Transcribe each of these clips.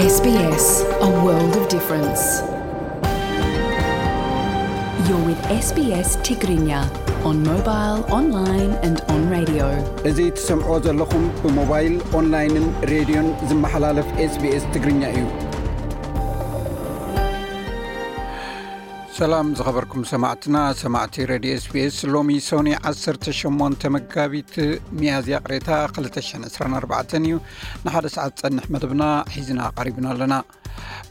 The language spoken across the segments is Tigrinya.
S B S, a world of difference. You're with S B S Tigrinya on mobile, online and on radio. እዚ ትሰምዖ ዘለኹም ብሞባይል፣ ኦንላይንን ሬድዮን ዝመሓላለፍ S B S ትግርኛ እዩ። ሰላም ዝኸበርኩም ሰማዕትና፣ ሰማዕቲ ሬድዮ S B S፣ ሎሚ ሶኒ ዓሰርተ ሸሞንተ መጋቢት፣ ሚያዝያ ቅሬታ ክልተ ሽሕን ዕስራን ኣርባዕተን እዩ። ንሓደ ሰዓት ዝጸንሕ መደብና ሒዝና ቀሪብና ኣለና።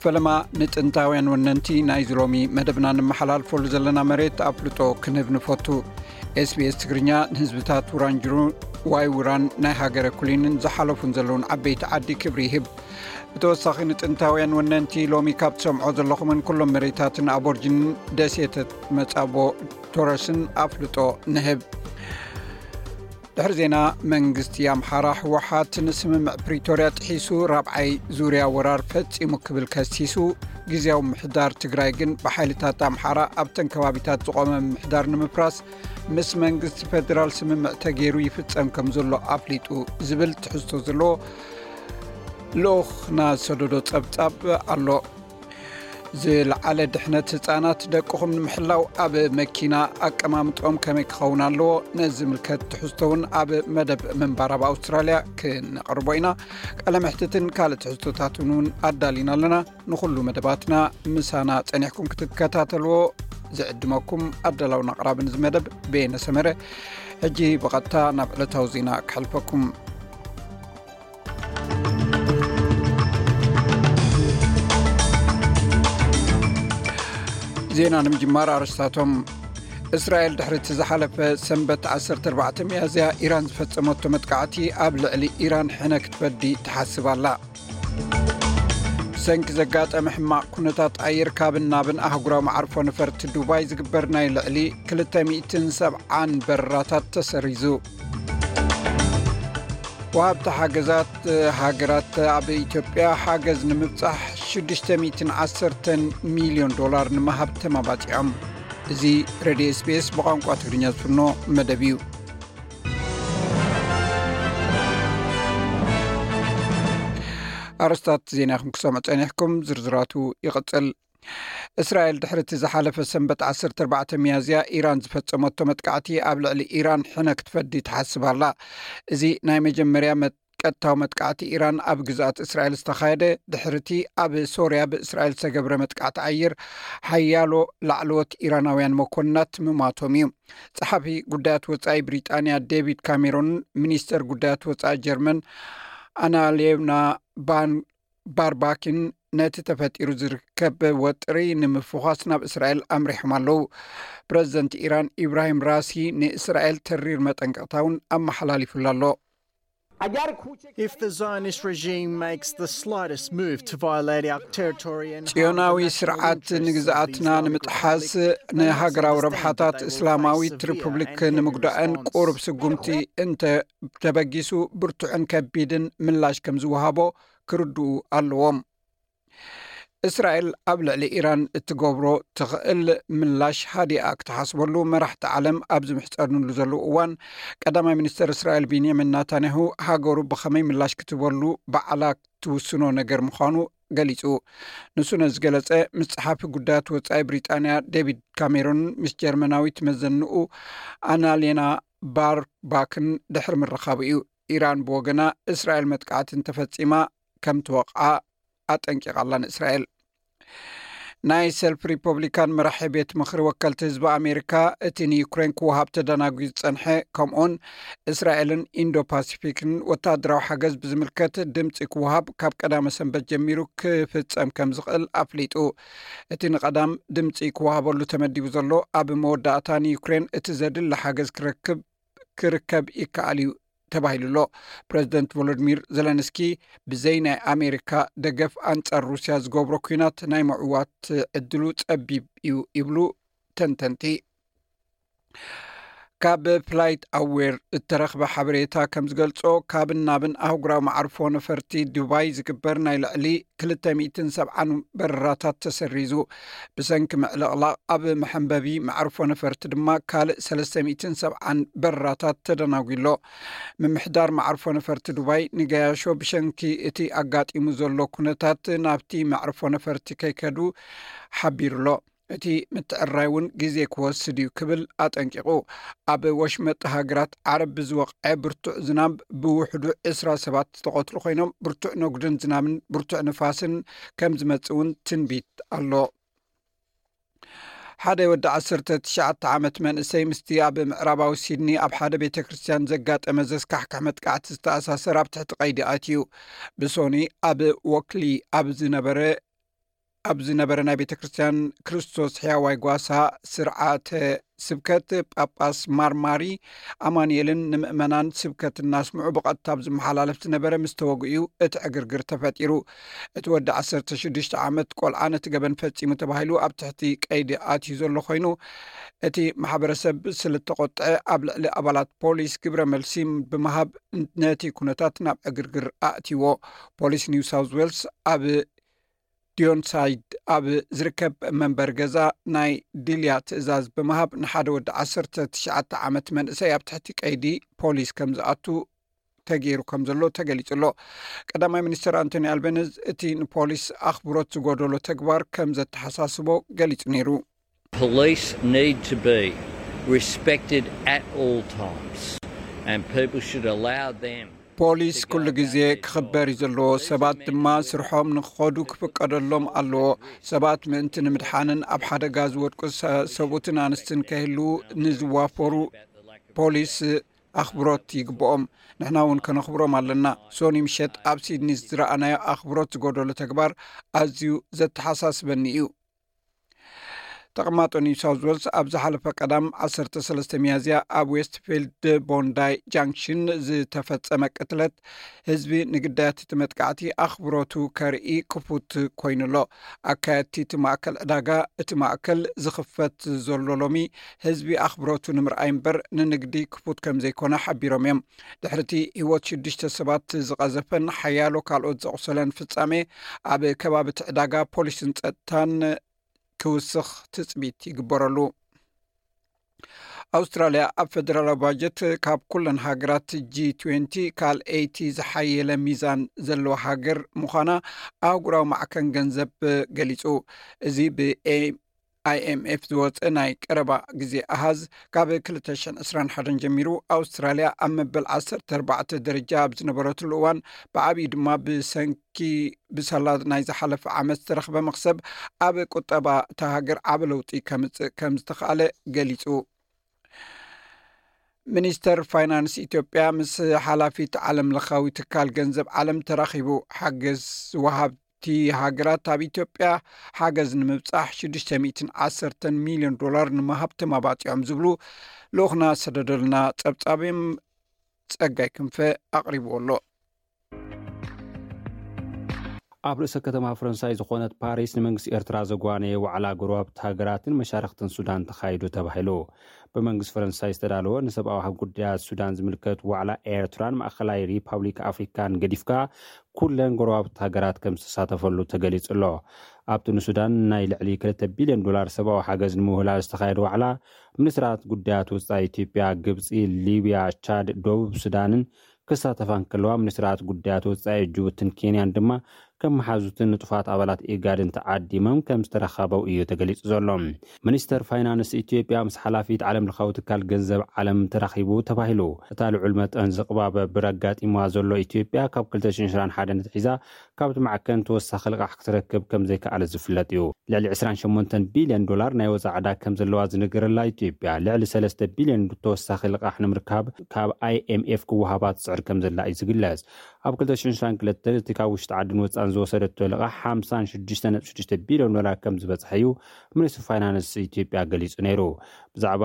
ፈለማ ንጥንታውያን ወነንቲ ናይዚ ሎሚ መደብና ንመሓላልፈሉ ዘለና መሬት ኣፍልጦ ክንህብ ንፈቱ። S B S ትግርኛ ንህዝብታት ውራንጅሩ፣ ዋይ ውራን፣ ናይ ሃገረ ኩሊንን ዝሓለፉን ዘለውን ዓበይቲ ዓዲ ክብሪ ይህብ። ብተወሳኺ ንጥንታውያን ወነንቲ ሎሚ ካብ ትሰምዖ ዘለኹምን ኩሎም መሬታትን ኣቦርጅንን ደሴታት መጻቦ ቶረስን ኣፍልጦ ንህብ። ድሕሪ ዜና፣ መንግስቲ ኣምሓራ ህወሓት ንስምምዕ ፕሪቶርያ ጥሒሱ ራብዓይ ዙርያ ወራር ፈጺሙ ክብል ከሲሱ፣ ግዝያዊ ምምሕዳር ትግራይ ግን ብሓይልታት ኣምሓራ ኣብተን ከባቢታት ዝቖመ ምምሕዳር ንምፍራስ ምስ መንግስቲ ፌደራል ስምምዕ ተገይሩ ይፍጸም ከም ዘሎ ኣፍሊጡ ዝብል ትሕዝቶ ዘለዎ ልኡኽና ዝሰደዶ ጸብጻብ ኣሎ። ዝለዓለ ድሕነት ህጻናት ደቅኹም ንምሕላው ኣብ መኪና ኣቀማምጦም ከመይ ክኸውን ኣለዎ? ነዚ ዝምልከት ትሕዝቶ እውን ኣብ መደብ ምንባር ኣብ ኣውስትራልያ ክነቕርቦ ኢና። ቃለ መሕትትን ካልእ ትሕዝቶታትን እውን ኣዳሊና ኣለና። ንኹሉ መደባትና ምሳና ጸኒሕኩም ክትከታተልዎ ዝዕድመኩም ኣዳላውን ኣቕራብን እዚ መደብ በየነ ሰመረ። ሕጂ ብቐጥታ ናብ ዕለታዊ ዜና ክሕልፈኩም። ዜና ንምጅማር ኣርስታቶም። እስራኤል ድሕሪ እቲ ዝሓለፈ ሰንበት ዓሰርተ ኣርባዕተ ሚያዝያ ኢራን ዝፈጸመቶ መጥቃዕቲ ኣብ ልዕሊ ኢራን ሕነ ክትፈዲ ትሓስብ ኣላ። ብሰንኪ ዘጋጠመ ሕማቕ ኩነታት ኣየር ካብን ናብን ኣህጉራዊ መዓርፎ ነፈርቲ ዱባይ ዝግበር ናይ ልዕሊ ክልተ ሚእትን ሰብዓን በረራታት ተሰሪዙ። ወሃብቲ ሓገዛት ሃገራት ኣብ ኢትዮጵያ ሓገዝ ንምብጻሕ ሽዱሽተ ሚእትን ዓሰርተን ሚልዮን ዶላር ንምሃብ ተመባጺዖም። እዚ ሬድዮ S B S ብቋንቋ ትግርኛ ዝፍኖ መደብ እዩ። ኣርስታት ዜና ኢኹም ክሰምዑ ጸኒሕኩም፣ ዝርዝራቱ ይቕጽል። እስራኤል ድሕሪ እቲ ዝሓለፈ ሰንበት ዓሰርተ ኣርባዕተ ሚያዝያ ኢራን ዝፈጸመቶ መጥቃዕቲ ኣብ ልዕሊ ኢራን ሕነ ክትፈዲ ትሓስብ ኣላ። እዚ ናይ መጀመርያ መት-፣ ቀጥታዊ መጥቃዕቲ ኢራን ኣብ ግዝኣት እስራኤል ዝተኻየደ ድሕሪ እቲ ኣብ ሶርያ ብእስራኤል ዝተገብረ መጥቃዕቲ ኣየር ሓያሎ ላዕለዎት ኢራናውያን መኮንናት ምማቶም እዩ። ጸሓፊ ጉዳያት ወጻኢ ብሪጣንያ ዴቪድ ካሜሮን ሚኒስተር ጉዳያት ወጻኢ ጀርመን ኣናሌና ባን ባርባኪን ነቲ ተፈጢሩ ዝርከብ ወጥሪ ንምፍዃስ ናብ እስራኤል ኣምሪሖም ኣለዉ። ፕረዚደንት ኢራን ኢብራሂም ራሲ ንእስራኤል ተሪር መጠንቀቕታ እውን ኣመሓላሊፉሉ ኣሎ። If the Zionist regime makes the slightest move to violate our territory and ጽዮናዊ ስርዓት ንግዝኣትና ንምጥሓስ ንሃገራዊ ረብሓታት እስላማዊት ሪፑብሊክ ንምጉዳእን ቁሩብ ስጉምቲ እንተ ተበጊሱ ብርቱዕን ከቢድን ምላሽ ከም ዝወሃቦ ክርድኡ ኣለዎም። እስራኤል ኣብ ልዕሊ ኢራን እትገብሮ ትኽእል ምላሽ ሃዲኣ ክትሓስበሉ መራሕቲ ዓለም ኣብ ዝምሕጸንሉ ዘለዉ እዋን፣ ቀዳማይ ሚኒስተር እስራኤል ቢንያሚን ናታንያሁ ሃገሩ ብኸመይ ምላሽ ክትበሉ ባዕላ ትውስኖ ነገር ምዃኑ ገሊጹ። ንሱ ነዚ ዝገለጸ ምስ ጸሓፊ ጉዳያት ወጻኢ ብሪጣንያ ዴቪድ ካሜሮን ምስ ጀርመናዊት መዘንኡ ኣናሌና ባርባክን ድሕሪ ምርኻቡ እዩ። ኢራን ብወገና እስራኤል መጥቃዕቲ እንተፈጺማ ከም ትወቕዓ ኣጠንቂቓ ኣላ ንእስራኤል። ናይ ሰልፍ ሪፐብሊካን መራሒ ቤት ምኽሪ ወከልቲ ህዝቢ ኣሜሪካ እቲ ንዩክሬን ክወሃብ ተደናጒ ዝጸንሐ ከምኡውን እስራኤልን ኢንዶ ፓሲፊክን ወታደራዊ ሓገዝ ብዝምልከት ድምፂ ክወሃብ ካብ ቀዳመ ሰንበት ጀሚሩ ክፍጸም ከም ዝኽእል ኣፍሊጡ። እቲ ንቐዳም ድምፂ ክወሃበሉ ተመዲቡ ዘሎ ኣብ መወዳእታ ንዩክሬን እቲ ዘድሊ ሓገዝ ክረክብ ክርከብ ይከኣል እዩ ተባሂሉ ኣሎ። ፕረዚደንት ቮሎዲሚር ዘለንስኪ ብዘይ ናይ ኣሜሪካ ደገፍ ኣንጻር ሩስያ ዝገብሮ ኲናት ናይ ምዕዋት ዕድሉ ጸቢብ እዩ ይብሉ ተንተንቲ። ካብ ፍላይት ኣዌር እተረኽበ ሓበሬታ ከም ዝገልጾ፣ ካብን ናብን ኣህጉራዊ መዓርፎ ነፈርቲ ዱባይ ዝግበር ናይ ልዕሊ ክልተ ሚእትን ሰብዓን በረራታት ተሰሪዙ። ብሰንኪ ምዕልቕላቕ ኣብ መሐንበቢ መዓርፎ ነፈርቲ ድማ ካልእ ሰለስተ ሚእትን ሰብዓን በረራታት ተደናጒሎ። ምምሕዳር መዓርፎ ነፈርቲ ዱባይ ንገያሾ ብሸንኪ እቲ ኣጋጢሙ ዘሎ ኩነታት ናብቲ መዕርፎ ነፈርቲ ከይከዱ ሓቢሩሎ። እቲ ምትዕራይ እውን ግዜ ክወስድ እዩ ክብል ኣጠንቂቑ። ኣብ ወሽመጥ ሃገራት ዓረብ ብዝወቕዐ ብርቱዕ ዝናብ ብውሕዱ ዕስራ ሰባት ዝተቐትሉ ኮይኖም፣ ብርቱዕ ነጉድን ዝናብን ብርቱዕ ንፋስን ከም ዝመጽእ እውን ትንቢት ኣሎ። ሓደ ወዲ ዓሰርተ ትሽዓተ ዓመት መንእሰይ ምስቲ ኣብ ምዕራባዊ ሲድኒ ኣብ ሓደ ቤተ ክርስቲያን ዘጋጠመ ዘስካሕክሕ መጥቃዕቲ ዝተኣሳሰር ኣብ ትሕቲ ቀይዲ ኣትዩ። ብሶኒ ኣብ ወክሊ ኣብ ዝነበረ ኣብ ዝነበረ ናይ ቤተ ክርስቲያን ክርስቶስ ሕያዋይ ጓሳ ስርዓተ ስብከት፣ ጳጳስ ማርማሪ ኣማኑኤልን ንምእመናን ስብከት እናስምዑ ብቐጥታ ኣብ ዝመሓላለፍ ዝነበረ ምስ ተወግኡ እቲ ዕግርግር ተፈጢሩ። እቲ ወዲ ዓሰርተ ሽዱሽተ ዓመት ቆልዓ ነቲ ገበን ፈጺሙ ተባሂሉ ኣብ ትሕቲ ቀይዲ ኣትዩ ዘሎ ኮይኑ፣ እቲ ማሕበረሰብ ስለ ዝተቖጥዐ ኣብ ልዕሊ ኣባላት ፖሊስ ግብረ መልሲ ብምሃብ ነቲ ኩነታት ናብ ዕግርግር ኣእትይዎ። ፖሊስ ኒው ሳውዝ ዌልስ ኣብ ዲዮንሳይድ ኣብ ዝርከብ መንበሪ ገዛ ናይ ድልያ ትእዛዝ ብምሃብ ንሓደ ወዲ ዓሰርተ ትሽዓተ ዓመት መንእሰይ ኣብ ትሕቲ ቀይዲ ፖሊስ ከም ዝኣቱ ተገይሩ ከም ዘሎ ተገሊጹ ኣሎ። ቀዳማይ ሚኒስትር ኣንቶኒ ኣልበነዝ እቲ ንፖሊስ ኣኽብሮት ዝጎደሎ ተግባር ከም ዘተሓሳስቦ ገሊጹ ነይሩ። Police need to be respected at all times, and people should allow them ፖሊስ ኩሉ ግዜ ክኽበር እዩ ዘለዎ። ሰባት ድማ ስርሖም ንክኸዱ ክፍቀደሎም ኣለዎ። ሰባት ምእንቲ ንምድሓንን ኣብ ሓደጋ ዝወድቁ ሰ- ሰብኡትን ኣንስትን ከይህልዉ ንዝዋፈሩ ፖሊስ ኣኽብሮት ይግብኦም። ንሕና እውን ከነኽብሮም ኣለና። ሶኒ ምሸት ኣብ ሲድኒ ዝረኣናዮ ኣኽብሮት ዝጎደሎ ተግባር ኣዝዩ ዘተሓሳስበኒ እዩ። ተቐማጦ ኒው ሳውዝ ዌልስ ኣብ ዝሓለፈ ቀዳም ዓሰርተ ሰለስተ ሚያዝያ ኣብ ዌስትፊልድ ቦንዳይ ጃንክሽን ዝተፈጸመ ቅትለት ህዝቢ ንግዳያት እቲ መጥቃዕቲ ኣኽብሮቱ ከርኢ ክፉት ኮይኑ ኣሎ። ኣካየድቲ እቲ ማእከል ዕዳጋ፣ እቲ ማእከል ዝኽፈት ዘሎ ሎሚ ህዝቢ ኣኽብሮቱ ንምርኣይ እምበር ንንግዲ ክፉት ከም ዘይኮነ ሓቢሮም እዮም። ድሕሪቲ ህይወት ሽዱሽተ ሰባት ዝቐዘፈን ሓያሎ ካልኦት ዘቑሰለን ፍጻሜ፣ ኣብ ከባቢ እቲ ዕዳጋ ፖሊስን ጸጥታን ክውስኽ ትጽቢት ይግበረሉ። ኣውስትራልያ ኣብ ፈደራላዊ ባጀት ካብ ኩለን ሃገራት ጂ ትዌንቲ ካልኣይቲ ዝሓየለ ሚዛን ዘለዋ ሃገር ምዃና ኣህጉራዊ ማዕከን ገንዘብ ገሊጹ። እዚ ብ ኣይኤምኤፍ ዝወጸ ናይ ቀረባ ግዜ ኣሃዝ፣ ካብ ክልተ ሽሕን ዕስራን ሓደን ጀሚሩ ኣውስትራልያ ኣብ መበል ዓሰርተ ኣርባዕተ ደረጃ ኣብ ዝነበረትሉ እዋን፣ ብዓብዩ ድማ ብሰንኪ ብሳላ ናይ ዝሓለፈ ዓመት ዝተረኽበ መኽሰብ ኣብ ቁጠባ እታ ሃገር ዓቢ ለውጢ ከምጽእ ከም ዝተኻእለ ገሊጹ። ሚኒስተር ፋይናንስ ኢትዮጵያ ምስ ሓላፊት ዓለም ለኻዊ ትካል ገንዘብ ዓለም ተራኺቡ። ሓገዝ ወሃብቲ ሃገራት ኣብ ኢትዮጵያ ሓገዝ ንምብጻሕ ሽዱሽተ ሚእትን ዓሰርተን ሚልዮን ዶላር ንምሃብ ተማባጺዖም ዝብሉ ልኡኽና ዝሰደደልና ጸብጻብ እዮም። ጸጋይ ክንፈ ኣቕሪብዎ ኣሎ። ኣብ ርእሰ ከተማ ፈረንሳይ ዝኾነት ፓሪስ ንመንግስቲ ኤርትራ ዘጓነየ ዋዕላ ጎረባብቲ ሃገራትን መሻርኽትን ሱዳን ተኻይዱ ተባሂሉ። ብመንግስቲ ፈረንሳይ ዝተዳለወ ንሰብኣዊ ጉዳያት ሱዳን ዝምልከት ዋዕላ ኤርትራን ማእኸላይ ሪፓብሊክ ኣፍሪካን ገዲፍካ ኩለን ጎረባብቲ ሃገራት ከም ዝተሳተፈሉ ተገሊጹ ኣሎ። ኣብቲ ንሱዳን ናይ ልዕሊ ክልተ ቢልዮን ዶላር ሰብኣዊ ሓገዝ ንምውህላል ዝተኻየደ ዋዕላ ሚኒስትራት ጉዳያት ወጻኢ ኢትዮጵያ፣ ግብጺ፣ ሊብያ፣ ቻድ፣ ደቡብ ሱዳንን ክሳተፋ እንከለዋ፣ ሚኒስትራት ጉዳያት ወጻኢ ጅቡትን ኬንያን ድማ ከም መሓዙትን ንጡፋት ኣባላት ኢጋድን ተዓዲሞም ከም ዝተረኸበው እዩ ተገሊጹ ዘሎ። ሚኒስተር ፋይናንስ ኢትዮጵያ ምስ ሓላፊት ዓለም ለኻዊ ትካል ገንዘብ ዓለም ተራኺቡ ተባሂሉ። እታ ልዑል መጠን ዝቕባበ ብር ኣጋጢምዋ ዘሎ ኢትዮጵያ ካብ ክልተ ሽሕን ዕስራን ሓደን ኣትሒዛ ካብቲ ማዕከን ተወሳኺ ልቓሕ ክትረክብ ከም ዘይከኣለት ዝፍለጥ እዩ። ልዕሊ ዕስራን ሸሞንተን ቢልዮን ዶላር ናይ ወጻኢ ዕዳ ከም ዘለዋ ዝንገረላ ኢትዮጵያ፣ ልዕሊ ሰለስተ ቢልዮን ተወሳኺ ልቓሕ ንምርካብ ካብ ኣይኤምኤፍ ክወሃባ ትጽዕር ከም ዘላ እዩ ዝግለጽ። ኣብ ክልተ ሽሕን ዕስራን ክልተን እቲ ካብ ውሽጢ ዓድን ወጻእን ዝወሰደቶ ልቓሕ ሓምሳን ሽዱሽተ ነጥቢ ሽዱሽተ ቢልዮን ዶላር ከም ዝበጽሐ እዩ ሚኒስትሪ ፋይናንስ ኢትዮጵያ ገሊጹ ነይሩ። ብዛዕባ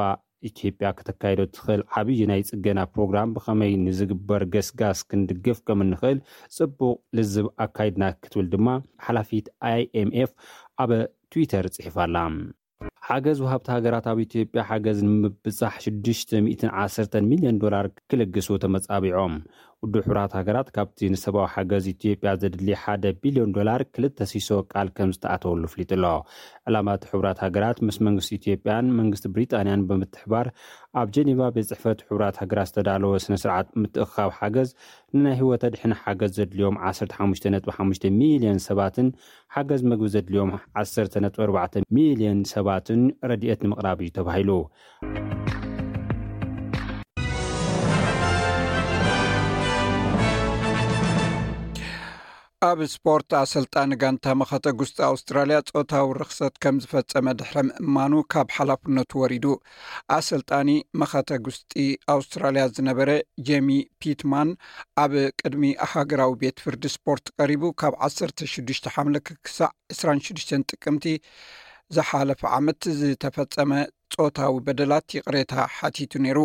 ኢትዮጵያ ከተካይዶ ትኽእል ዓብዪ ናይ ጽገና ፕሮግራም ብኸመይ ንዝግበር ገስጋስ ክንድግፍ ከም እንኽእል ጽቡቕ ልዝብ ኣካይድና ክትብል ድማ ሓላፊት ኣይኤምኤፍ ኣብ ትዊተር ጽሒፋ ኣላ። ሓገዝ ወሃብቲ ሃገራት ኣብ ኢትዮጵያ ሓገዝ ንምብጻሕ ሽዱሽተ ሚእትን ዓሰርተን ሚልዮን ዶላር ክልግሱ ተመጻቢዖም። ውድብ ሕቡራት ሃገራት ካብቲ ንሰብኣዊ ሓገዝ ኢትዮጵያ ዘድሊ ሓደ ቢልዮን ዶላር ክልተ ሲሶ ቃል ከም ዝተኣተወሉ ኣፍሊጡ ኣሎ። ዕላማ እቲ ሕቡራት ሃገራት ምስ መንግስቲ ኢትዮጵያን መንግስቲ ብሪጣንያን ብምትሕባር ኣብ ጀኔቫ ቤት ጽሕፈት ሕቡራት ሃገራት ዝተዳለወ ስነ ስርዓት ምትእኽኻብ ሓገዝ ንናይ ህይወት ኣድሕን ሓገዝ ዘድልዮም ዓሰርተ ሓሙሽተ ነጥቢ ሓሙሽተ ሚልዮን ሰባትን ሓገዝ መግቢ ዘድልዮም ዓሰርተ ነጥቢ ኣርባዕተ ሚልዮን ሰባትን ረድኤት ንምቕራብ እዩ ተባሂሉ። ኣብ ስፖርት፣ ኣሰልጣኒ ጋንታ መኸተ ጉስጢ ኣውስትራልያ ጾታዊ ርኽሰት ከም ዝፈጸመ ድሕሪ ምእማኑ ካብ ሓላፍነቱ ወሪዱ። ኣሰልጣኒ መኸተ ጉስጢ ኣውስትራልያ ዝነበረ ጄሚ ፒትማን ኣብ ቅድሚ ሃገራዊ ቤት ፍርዲ ስፖርት ቀሪቡ፣ ካብ ዓሰርተ ሽዱሽተ ሓምለ ክሳዕ ዕስራን ሽዱሽተን ጥቅምቲ ዝሓለፈ ዓመት ዝተፈጸመ ጾታዊ በደላት ይቕሬታ ሓቲቱ ነይሩ።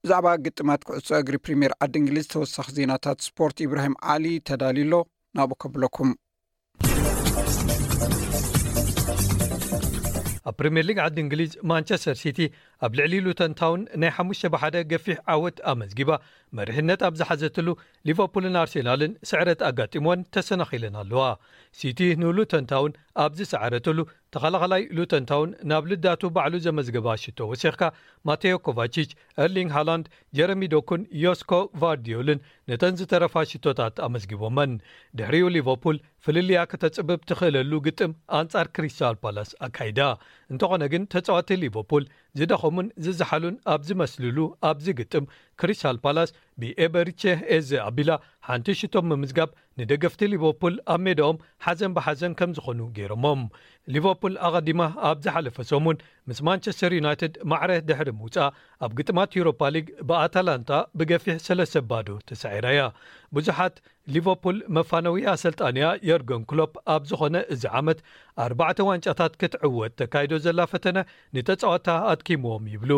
ብዛዕባ ግጥማት ኩዕሶ እግሪ ፕሪምየር ዓዲ እንግሊዝ ተወሳኺ ዜናታት ስፖርት ኢብራሂም ዓሊ ተዳልዩ ኣሎ። ናብኡ ከብለኩም። ኣብ ፕሪምየር ሊግ ዓዲ እንግሊዝ ማንቸስተር ሲቲ ኣብ ልዕሊ ሉተን ታውን ናይ ሓሙሽተ ብሓደ ገፊሕ ዓወት ኣመዝጊባ፣ መሪሕነት ኣብ ዝሓዘትሉ ሊቨርፑልን ኣርሴናልን ስዕረት ኣጋጢሞን ተሰናኺለን ኣለዋ። ሲቲ ንሉተን ታውን ኣብ ዝሰዓረትሉ፣ ተኸላኻላይ ሉተን ታውን ናብ ልዳቱ ባዕሉ ዘመዝገባ ሽቶ ወሲኽካ፣ ማቴዮ ኮቫቺች፣ ኤርሊንግ ሃላንድ፣ ጀረሚ ዶኩን፣ ዮስኮ ቫርዲዮልን ነተን ዝተረፋ ሽቶታት ኣመዝጊቦመን። ድሕሪኡ ሊቨርፑል ፍልልያ ከተጽብብ ትኽእለሉ ግጥም ኣንጻር ክሪስታል ፓላስ ኣካይዳ። እንተኾነ ግን ተጻወቲ ሊቨርፑል ዝደኸሙን ዝዝሓሉን ኣብ ዝመስልሉ ኣብዚ ግጥም ክሪስታል ፓላስ ብኤበሪቼ ኤዘ ኣቢላ ሓንቲ ሽቶ ምምዝጋብ ንደገፍቲ ሊቨርፑል ኣብ ሜዳኦም ሓዘን ብሓዘን ከም ዝኾኑ ገይሮሞም። ሊቨርፑል ኣቐዲማ ኣብ ዝሓለፈ ሰሙን ምስ ማንቸስተር ዩናይትድ ማዕረ ድሕሪ ምውጻእ ኣብ ግጥማት ዩሮፓ ሊግ ብኣታላንታ ብገፊሕ ሰለስተ ባዶ ተሳዒራ እያ። ብዙሓት ሊቨርፑል መፋነዊ ኣሰልጣንያ የርገን ክሎፕ ኣብ ዝኾነ እዚ ዓመት ኣርባዕተ ዋንጫታት ክትዕወት ተካይዶ ዘላ ፈተነ ንተጻወታ ኣድኪምዎም ይብሉ።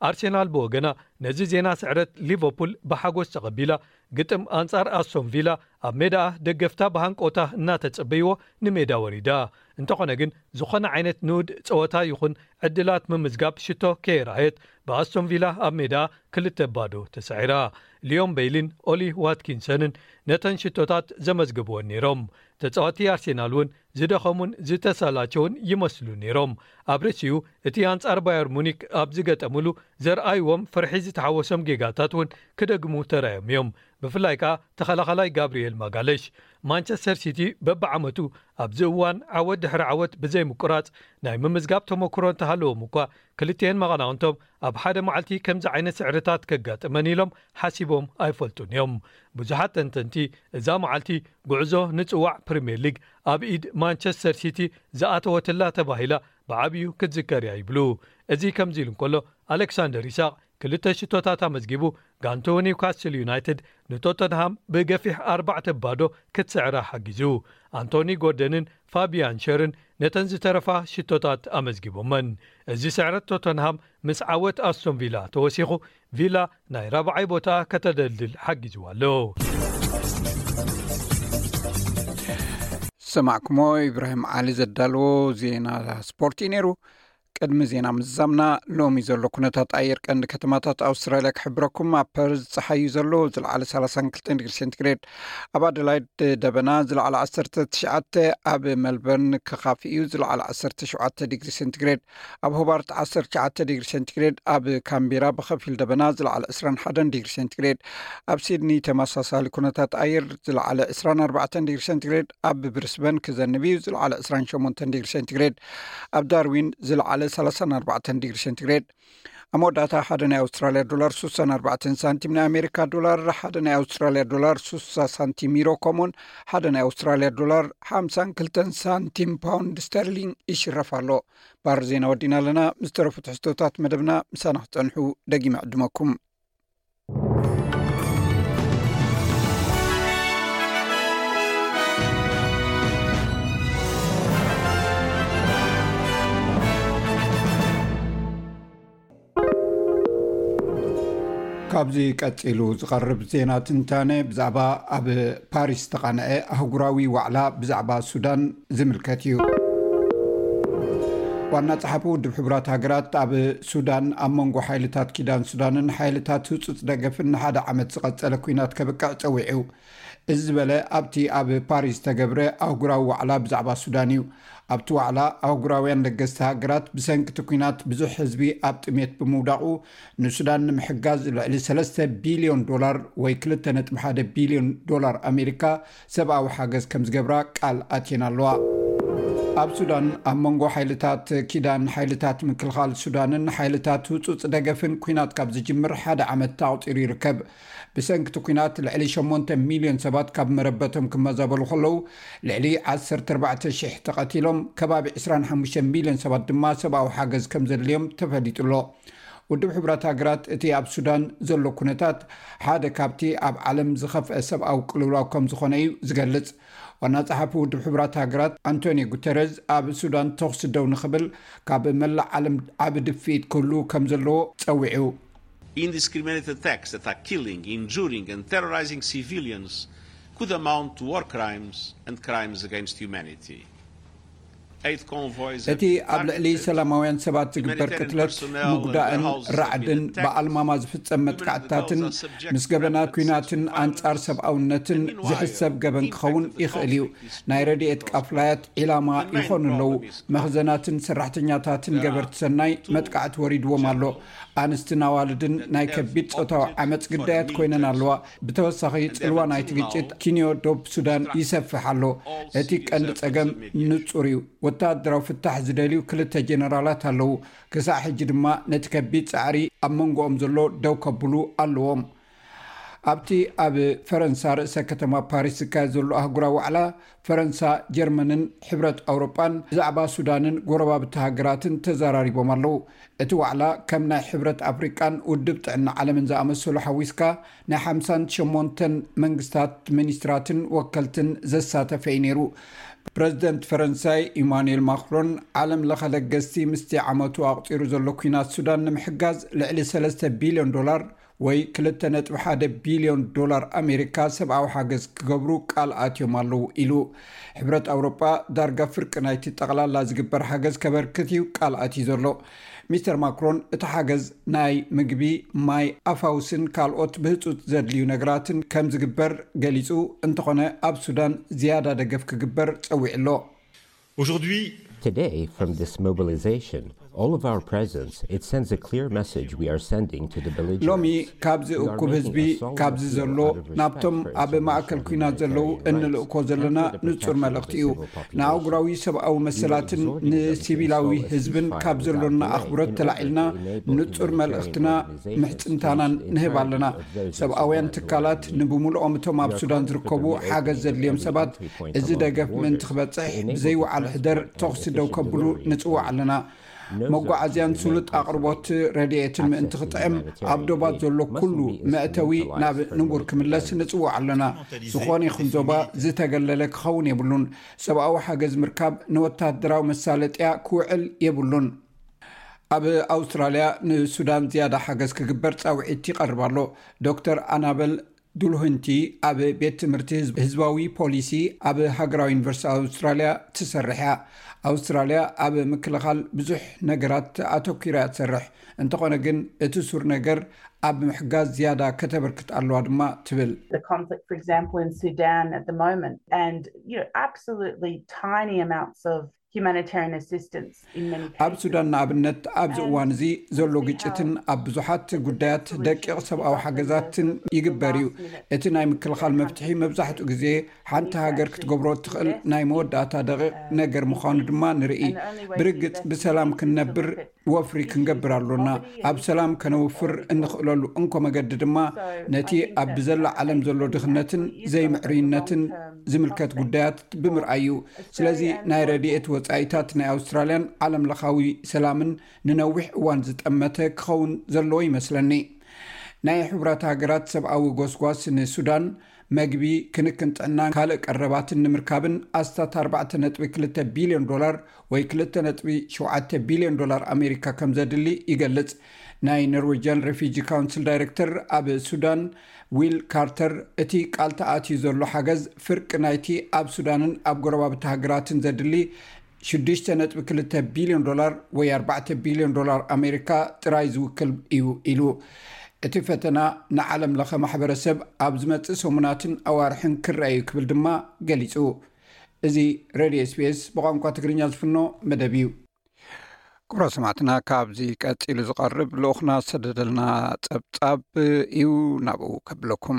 ኣርሴናል ብወገና ነዚ ዜና ስዕረት ሊቨርፑል ብሓጎስ ተቐቢላ፣ ግጥም ኣንጻር ኣስቶን ቪላ ኣብ ሜዳኣ ደገፍታ ብሃንቆታ እናተጸበይዎ ንሜዳ ወሪዳ። እንተኾነ ግን ዝኾነ ዓይነት ንኡድ ጸወታ ይኹን ዕድላት ምምዝጋብ ሽቶ ከየርኣየት ብኣስቶን ቪላ ኣብ ሜዳኣ ክልተ ባዶ ተሳዒራ። ሊዮን ቤይሊን ኦሊ ዋትኪንሰንን ነተን ሽቶታት ዘመዝግብወን ነይሮም። ተጻወቲ ኣርሴናል እውን ዝደኸሙን ዝተሰላቸውን ይመስሉ ነይሮም። ኣብ ርእሲኡ እቲ ኣንጻር ባየር ሙኒክ ኣብ ዝገጠምሉ ዘርኣይዎም ፍርሒ ዝተሓወሶም ጌጋታት እውን ክደግሙ ተራዮም እዮም። ብፍላይ ከኣ ተኸላኻላይ ጋብርኤል ማጋለሽ። ማንቸስተር ሲቲ በብዓመቱ ኣብዚ እዋን ዓወት ድሕሪ ዓወት ብዘይምቁራጽ ናይ ምምዝጋብ ተመክሮ እንተሃለዎም እኳ፣ ክልቲኤን መቐናቕንቶም ኣብ ሓደ መዓልቲ ከምዚ ዓይነት ስዕርታት ከጋጥመን ኢሎም ሓሲቦም ኣይፈልጡን እዮም። ብዙሓት ተንተንቲ እዛ መዓልቲ ጉዕዞ ንጽዋዕ ፕሪምየር ሊግ ኣብ ኢድ ማንቸስተር ሲቲ ዝኣተወትላ ተባሂላ ብዓብዩ ክትዝከር እያ ይብሉ። እዚ ከምዚ ኢሉ እንከሎ፣ ኣሌክሳንደር ኢሳቕ ክልተ ሽቶታት ኣመዝጊቡ፣ ጋንትኡ ኒውካስል ዩናይትድ ንቶተንሃም ብገፊሕ ኣርባዕተ ባዶ ክትስዕራ ሓጊዙ። ኣንቶኒ ጎርደንን ፋቢያን ሸርን ነተን ዝተረፋ ሽቶታት ኣመዝጊቦመን። እዚ ስዕረት ቶተንሃም ምስ ዓወት ኣስቶን ቪላ ተወሲኹ፣ ቪላ ናይ ራብዓይ ቦታኣ ከተደልድል ሓጊዝዋ ኣሎ። ሰማዕኩሞ፣ ኢብራሂም ዓሊ ዘዳለዎ ዜና ስፖርት እዩ ነይሩ። ቅድሚ ዜና ምዝዛምና፣ ሎሚ ዘሎ ኩነታት ኣየር ቀንዲ ከተማታት ኣውስትራልያ ክሕብረኩም። ኣብ ፐርዝ ጸሓይ እዩ ዘሎ፣ ዝለዓለ ሰላሳን ክልተን ዲግሪ ሴንቲግሬድ። ኣብ ኣደላይድ ደበና፣ ዝለዓለ ዓሰርተ ትሽዓተ። ኣብ መልበርን ክኻፊ እዩ፣ ዝለዓለ ዓሰርተ ሸውዓተ ዲግሪ ሴንቲግሬድ። ኣብ ሆባርት ዓሰርተ ትሽዓተ ዲግሪ ሴንቲግሬድ። ኣብ ካምቤራ ብኸፊል ደበና፣ ዝለዓለ ዕስራን ሓደን ዲግሪ ሴንቲግሬድ። ኣብ ሲድኒ ተመሳሳሊ ኩነታት ኣየር፣ ዝለዓለ ዕስራን ኣርባዕተን ዲግሪ ሴንቲግሬድ። ኣብ ብሪስበን ክዘንብ እዩ፣ ዝለዓለ ዕስራን ሸሞንተን ዲግሪ ሴንቲግሬድ። ኣብ ዳርዊን ዝለዓለ ሰላሳን ኣርባዕተን ዲግሪ ሴንቲግሬድ። ኣብ መወዳእታ፣ ሓደ ናይ ኣውስትራልያ ዶላር ሱሳን ኣርባዕተን ሳንቲም፣ ናይ ኣሜሪካ ዶላር ሓደ ናይ ኣውስትራልያ ዶላር ሱሳ ሳንቲም፣ ዩሮ ከምኡውን ሓደ ናይ ኣውስትራልያ ዶላር ሓምሳን ክልተን ሳንቲም ፓውንድ ስተርሊንግ ይሽረፍ ኣሎ። ባር ዜና ወዲና ኣለና። ምስ ተረፉ ትሕዝቶታት መደብና ምሳና ክጸንሑ ደጊመ ዕድመኩም። ካብዚ ቀጺሉ ዝቐርብ ዜና ትንታነ ብዛዕባ ኣብ ፓሪስ ዝተቓንዐ ኣህጉራዊ ዋዕላ ብዛዕባ ሱዳን ዝምልከት እዩ። ዋና ጸሓፊ ውድብ ሕቡራት ሃገራት ኣብ ሱዳን ኣብ መንጎ ሓይልታት ኪዳን ሱዳንን ሓይልታት ህጹጽ ደገፍን ንሓደ ዓመት ዝቐጸለ ኲናት ከብቅዕ ጸዊዑ። እዚ ዝበለ ኣብቲ ኣብ ፓሪስ ዝተገብረ ኣህጉራዊ ዋዕላ ብዛዕባ ሱዳን እዩ። ኣብቲ ዋዕላ ኣህጉራውያን ለገስቲ ሃገራት ብሰንኪ እቲ ኲናት ብዙሕ ህዝቢ ኣብ ጥሜት ብምውዳቑ ንሱዳን ንምሕጋዝ ልዕሊ ሰለስተ ቢልዮን ዶላር ወይ ክልተ ነጥቢ ሓደ ቢልዮን ዶላር ኣሜሪካ ሰብኣዊ ሓገዝ ከም ዝገብራ ቃል ኣትየን ኣለዋ። ኣብ ሱዳን ኣብ መንጎ ሓይልታት ኪዳን ሓይልታት ምክልኻል ሱዳንን ሓይልታት ህጹጽ ደገፍን ኲናት ካብ ዝጅምር ሓደ ዓመት ኣቑጺሩ ይርከብ። ብሰንኪ እቲ ኲናት ልዕሊ ሸሞንተ ሚልዮን ሰባት ካብ መረበቶም ክመዛበሉ ከለዉ ልዕሊ ዓሰርተ ኣርባዕተ ሽሕ ተቐቲሎም ከባቢ ዕስራን ሓሙሽተ ሚልዮን ሰባት ድማ ሰብኣዊ ሓገዝ ከም ዘድልዮም ተፈሊጡ ኣሎ። ውድብ ሕቡራት ሃገራት እቲ ኣብ ሱዳን ዘሎ ኩነታት ሓደ ካብቲ ኣብ ዓለም ዝኸፍአ ሰብኣዊ ቅልውላው ከም ዝኾነ እዩ ዝገልጽ። ዋና ጸሓፊ ውድብ ሕቡራት ሃገራት ኣንቶኒዮ ጉተረዝ ኣብ ሱዳን ተኹሲ ደው ንኽብል ካብ መላእ ዓለም ዓቢ ድፍኢት ክህሉ ከም ዘለዎ ጸዊዑ። Indiscriminate attacks that are killing, injuring, and terrorizing civilians could amount to war crimes and crimes against humanity. እቲ ኣብ ልዕሊ ሰላማውያን ሰባት ዝግበር ቅትለት፣ ምጉዳእን ራዕድን ብኣልማማ ዝፍጸም መጥቃዕትታትን ምስ ገበናት ኲናትን ኣንጻር ሰብኣውነትን ዝሕሰብ ገበን ክኸውን ይኽእል እዩ። ናይ ረድኤት ቃፍላያት ዒላማ ይኾኑ ኣለዉ። መኽዘናትን ሰራሕተኛታትን ገበርቲ ሰናይ መጥቃዕቲ ወሪድዎም ኣሎ። ኣንስትን ኣዋልድን ናይ ከቢድ ጾታዊ ዓመጽ ግዳያት ኮይነን ኣለዋ። ብተወሳኺ ጽልዋ ናይቲ ግጭት ኪንዮ ዶብ ሱዳን ይሰፍሕ ኣሎ። እቲ ቀንዲ ጸገም ንጹር እዩ። ወተሃደራዊ ፍታሕ ዝደልዩ ክልተ ጀነራላት ኣለዉ። ክሳዕ ሕጂ ድማ ነቲ ከቢድ ጻዕሪ ኣብ መንጎኦም ዘሎ ደው ከብሉ ኣለዎም። ኣብቲ ኣብ ፈረንሳ ርእሰ ከተማ ፓሪስ ዝካየድ ዘሎ ኣህጉራዊ ዋዕላ ፈረንሳ፣ ጀርመንን ሕብረት ኣውሮጳን ብዛዕባ ሱዳንን ጎረባብቲ ሃገራትን ተዘራሪቦም ኣለዉ። እቲ ዋዕላ ከም ናይ ሕብረት ኣፍሪቃን ውድብ ጥዕና ዓለምን ዝኣመሰሉ ሓዊስካ ናይ ሓምሳን ሸሞንተን መንግስታት ሚኒስትራትን ወከልትን ዘሳተፈ እዩ ነይሩ። ፕረዚደንት ፈረንሳይ ኢማኑኤል ማክሮን ዓለም ለኸ ለገስቲ ምስቲ ዓመቱ ኣቑጺሩ ዘሎ ኲናት ሱዳን ንምሕጋዝ ልዕሊ ሰለስተ ቢልዮን ዶላር ወይ ክልተ ነጥቢ ሓደ ቢልዮን ዶላር ኣሜሪካ ሰብኣዊ ሓገዝ ክገብሩ ቃል ኣትዮም ኣለዉ ኢሉ። ሕብረት ኣውሮጳ ዳርጋ ፍርቂ ናይቲ ጠቕላላ ዝግበር ሓገዝ ከበርክት እዩ ቃል ኣትዩ ዘሎ። ሚስተር ማክሮን እቲ ሓገዝ ናይ ምግቢ፣ ማይ፣ ኣፋውስን ካልኦት ብህጹጽ ዘድልዩ ነገራትን ከም ዝግበር ገሊጹ። እንተኾነ ኣብ ሱዳን ዝያዳ ደገፍ ክግበር ጸዊዑ ኣሎ። Today, from this mobilization, all of our presence, it sends a clear message we are sending to the ሎሚ belligerents. ካብዚ እኩብ ህዝቢ ካብዚ ዘሎ ናብቶም ኣብ ማእከል ኲናት ዘለዉ እንልእኮ ዘለና ንጹር መልእኽቲ እዩ። ንኣህጉራዊ ሰብኣዊ መሰላትን ንሲቪላዊ ህዝብን ካብ ዘሎና ኣኽብሮት ተላዒልና ንጹር መልእኽትና ምሕጽንታናን ንህብ ኣለና። ሰብኣውያን ትካላት ንብምልኦም እቶም ኣብ ሱዳን ዝርከቡ ሓገዝ ዘድልዮም ሰባት እዚ ደገፍ ምእንቲ ክበጽሕ ብዘይወዓል ሕደር ተኹሲ ደው ከብሉ ንጽውዕ ኣለና። መጓዓዝያን ስሉጥ ኣቕርቦት ረድኤትን ምእንቲ ክጥዕም ኣብ ዶባት ዘሎ ኩሉ መእተዊ ናብ ንቡር ክምለስ ንጽውዕ ኣለና። ዝኾነ ይኹን ዞባ ዝተገለለ ክኸውን የብሉን። ሰብኣዊ ሓገዝ ምርካብ ንወታደራዊ መሳለጥያ ክውዕል የብሉን። ኣብ ኣውስትራልያ ንሱዳን ዝያዳ ሓገዝ ክግበር ጻውዒት ይቐርብ ኣሎ። ዶክተር ኣናበል ዱልሁንቲ ኣብ ቤት ትምህርቲ ህዝብ- ህዝባዊ ፖሊሲ ኣብ ሃገራዊ ዩኒቨርሲቲ ኣውስትራልያ ትሰርሕ እያ። ኣውስትራልያ ኣብ ምክልኻል ብዙሕ ነገራት ኣተኲራ እያ ትሰርሕ። እንተኾነ ግን እቲ ሱር ነገር ኣብ ምሕጋዝ ዝያዳ ከተበርክት ኣለዋ ድማ ትብል። The conflict, for example, in Sudan at the moment, and you know, absolutely tiny amounts of humanitarian assistance in many ኣብ cases. ሱዳን ንኣብነት ኣብዚ እዋን እዚ ዘሎ ግጭትን ኣብ ብዙሓት ጉዳያት ደቂቕ ሰብኣዊ ሓገዛትን ይግበር እዩ። እቲ ናይ ምክልኻል መፍትሒ መብዛሕትኡ ግዜ ሓንቲ ሃገር ክትገብሮ እትኽእል ናይ መወዳእታ ደቂቕ ነገር ምዃኑ ድማ ንርኢ። ብርግጽ ብሰላም ክንነብር ወፍሪ ክንገብር ኣሎና። ኣብ ሰላም ከነውፍር እንኽእለሉ እንኮ መገዲ ድማ ነቲ ኣብ ብዘላ ዓለም ዘሎ ድኽነትን ዘይምዕሩይነትን ዝምልከት ጉዳያት ብምርኣይ እዩ። ስለዚ ናይ ረድኤት ወጻኢታት ናይ ኣውስትራልያን ዓለም ለኻዊ ሰላምን ንነዊሕ እዋን ዝጠመተ ክኸውን ዘለዎ ይመስለኒ። ናይ ሕቡራት ሃገራት ሰብኣዊ ጎስጓስ ንሱዳን መግቢ፣ ክንክን ጥዕናን ካልእ ቀረባትን ንምርካብን ኣስታት ኣርባዕተ ነጥቢ ክልተ ቢልዮን ዶላር ወይ ክልተ ነጥቢ ሸውዓተ ቢልዮን ዶላር ኣሜሪካ ከም ዘድሊ ይገልጽ። ናይ ኖርዌጅያን ሬፊጂ ካውንስል ዳይሬክተር ኣብ ሱዳን ዊል ካርተር፣ እቲ ቃል ተኣትዩ ዘሎ ሓገዝ ፍርቂ ናይቲ ኣብ ሱዳንን ኣብ ጎረባብቲ ሃገራትን ዘድሊ ሽዱሽተ ነጥቢ ክልተ ቢልዮን ዶላር ወይ ኣርባዕተ ቢልዮን ዶላር ኣሜሪካ ጥራይ ዝውክል እዩ ኢሉ። እቲ ፈተና ንዓለም ለኸ ማሕበረሰብ ኣብ ዝመጽእ ሰሙናትን ኣዋርሕን ክረአ እዩ ክብል ድማ ገሊጹ። እዚ ሬድዮ ኤስቢኤስ ብቋንቋ ትግርኛ ዝፍኖ መደብ እዩ። ክቡራት ሰማዕትና፣ ካብዚ ቀጺሉ ዝቐርብ ልኡኽና ዝሰደደልና ጸብጻብ እዩ፣ ናብኡ ከብለኩም።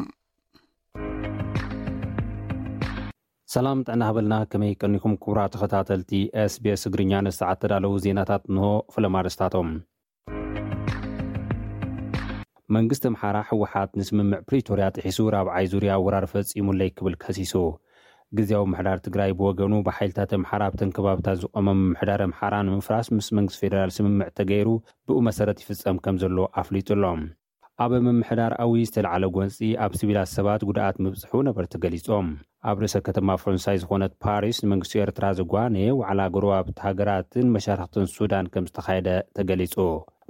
ሰላም ጥዕና ሃበልና፣ ከመይ ቀኒኹም ክቡራት ተኸታተልቲ ኤስቢኤስ ትግርኛ? ንሰዓት ተዳለዉ ዜናታት እንሆ። ፍለም ኣርእስታቶም። መንግስቲ ኣምሓራ፣ ህወሓት ንስምምዕ ፕሪቶርያ ጥሒሱ ራብዓይ ዙርያ ወራር ፈጺሙለይ ክብል ከሲሱ። ግዝያዊ ምምሕዳር ትግራይ ብወገኑ፣ ብሓይልታት ኣምሓራ ኣብተን ከባብታት ዝቖመ ምምሕዳር ኣምሓራ ንምፍራስ ምስ መንግስቲ ፌደራል ስምምዕ ተገይሩ ብኡ መሰረት ይፍጸም ከም ዘሎ ኣፍሊጡ ኣሎ። ኣብ ምምሕዳር ኣዊ ዝተልዓለ ጎንፂ ኣብ ሲቪላት ሰባት ጉድኣት ምብፅሑ ነበርቲ ገሊፆም። ኣብ ርእሰ ከተማ ፈረንሳይ ዝኾነት ፓሪስ ንመንግስቲ ኤርትራ ዘጓነየ ዋዕላ ጎረባብቲ ሃገራትን መሻርክትን ሱዳን ከም ዝተኻየደ ተገሊፁ።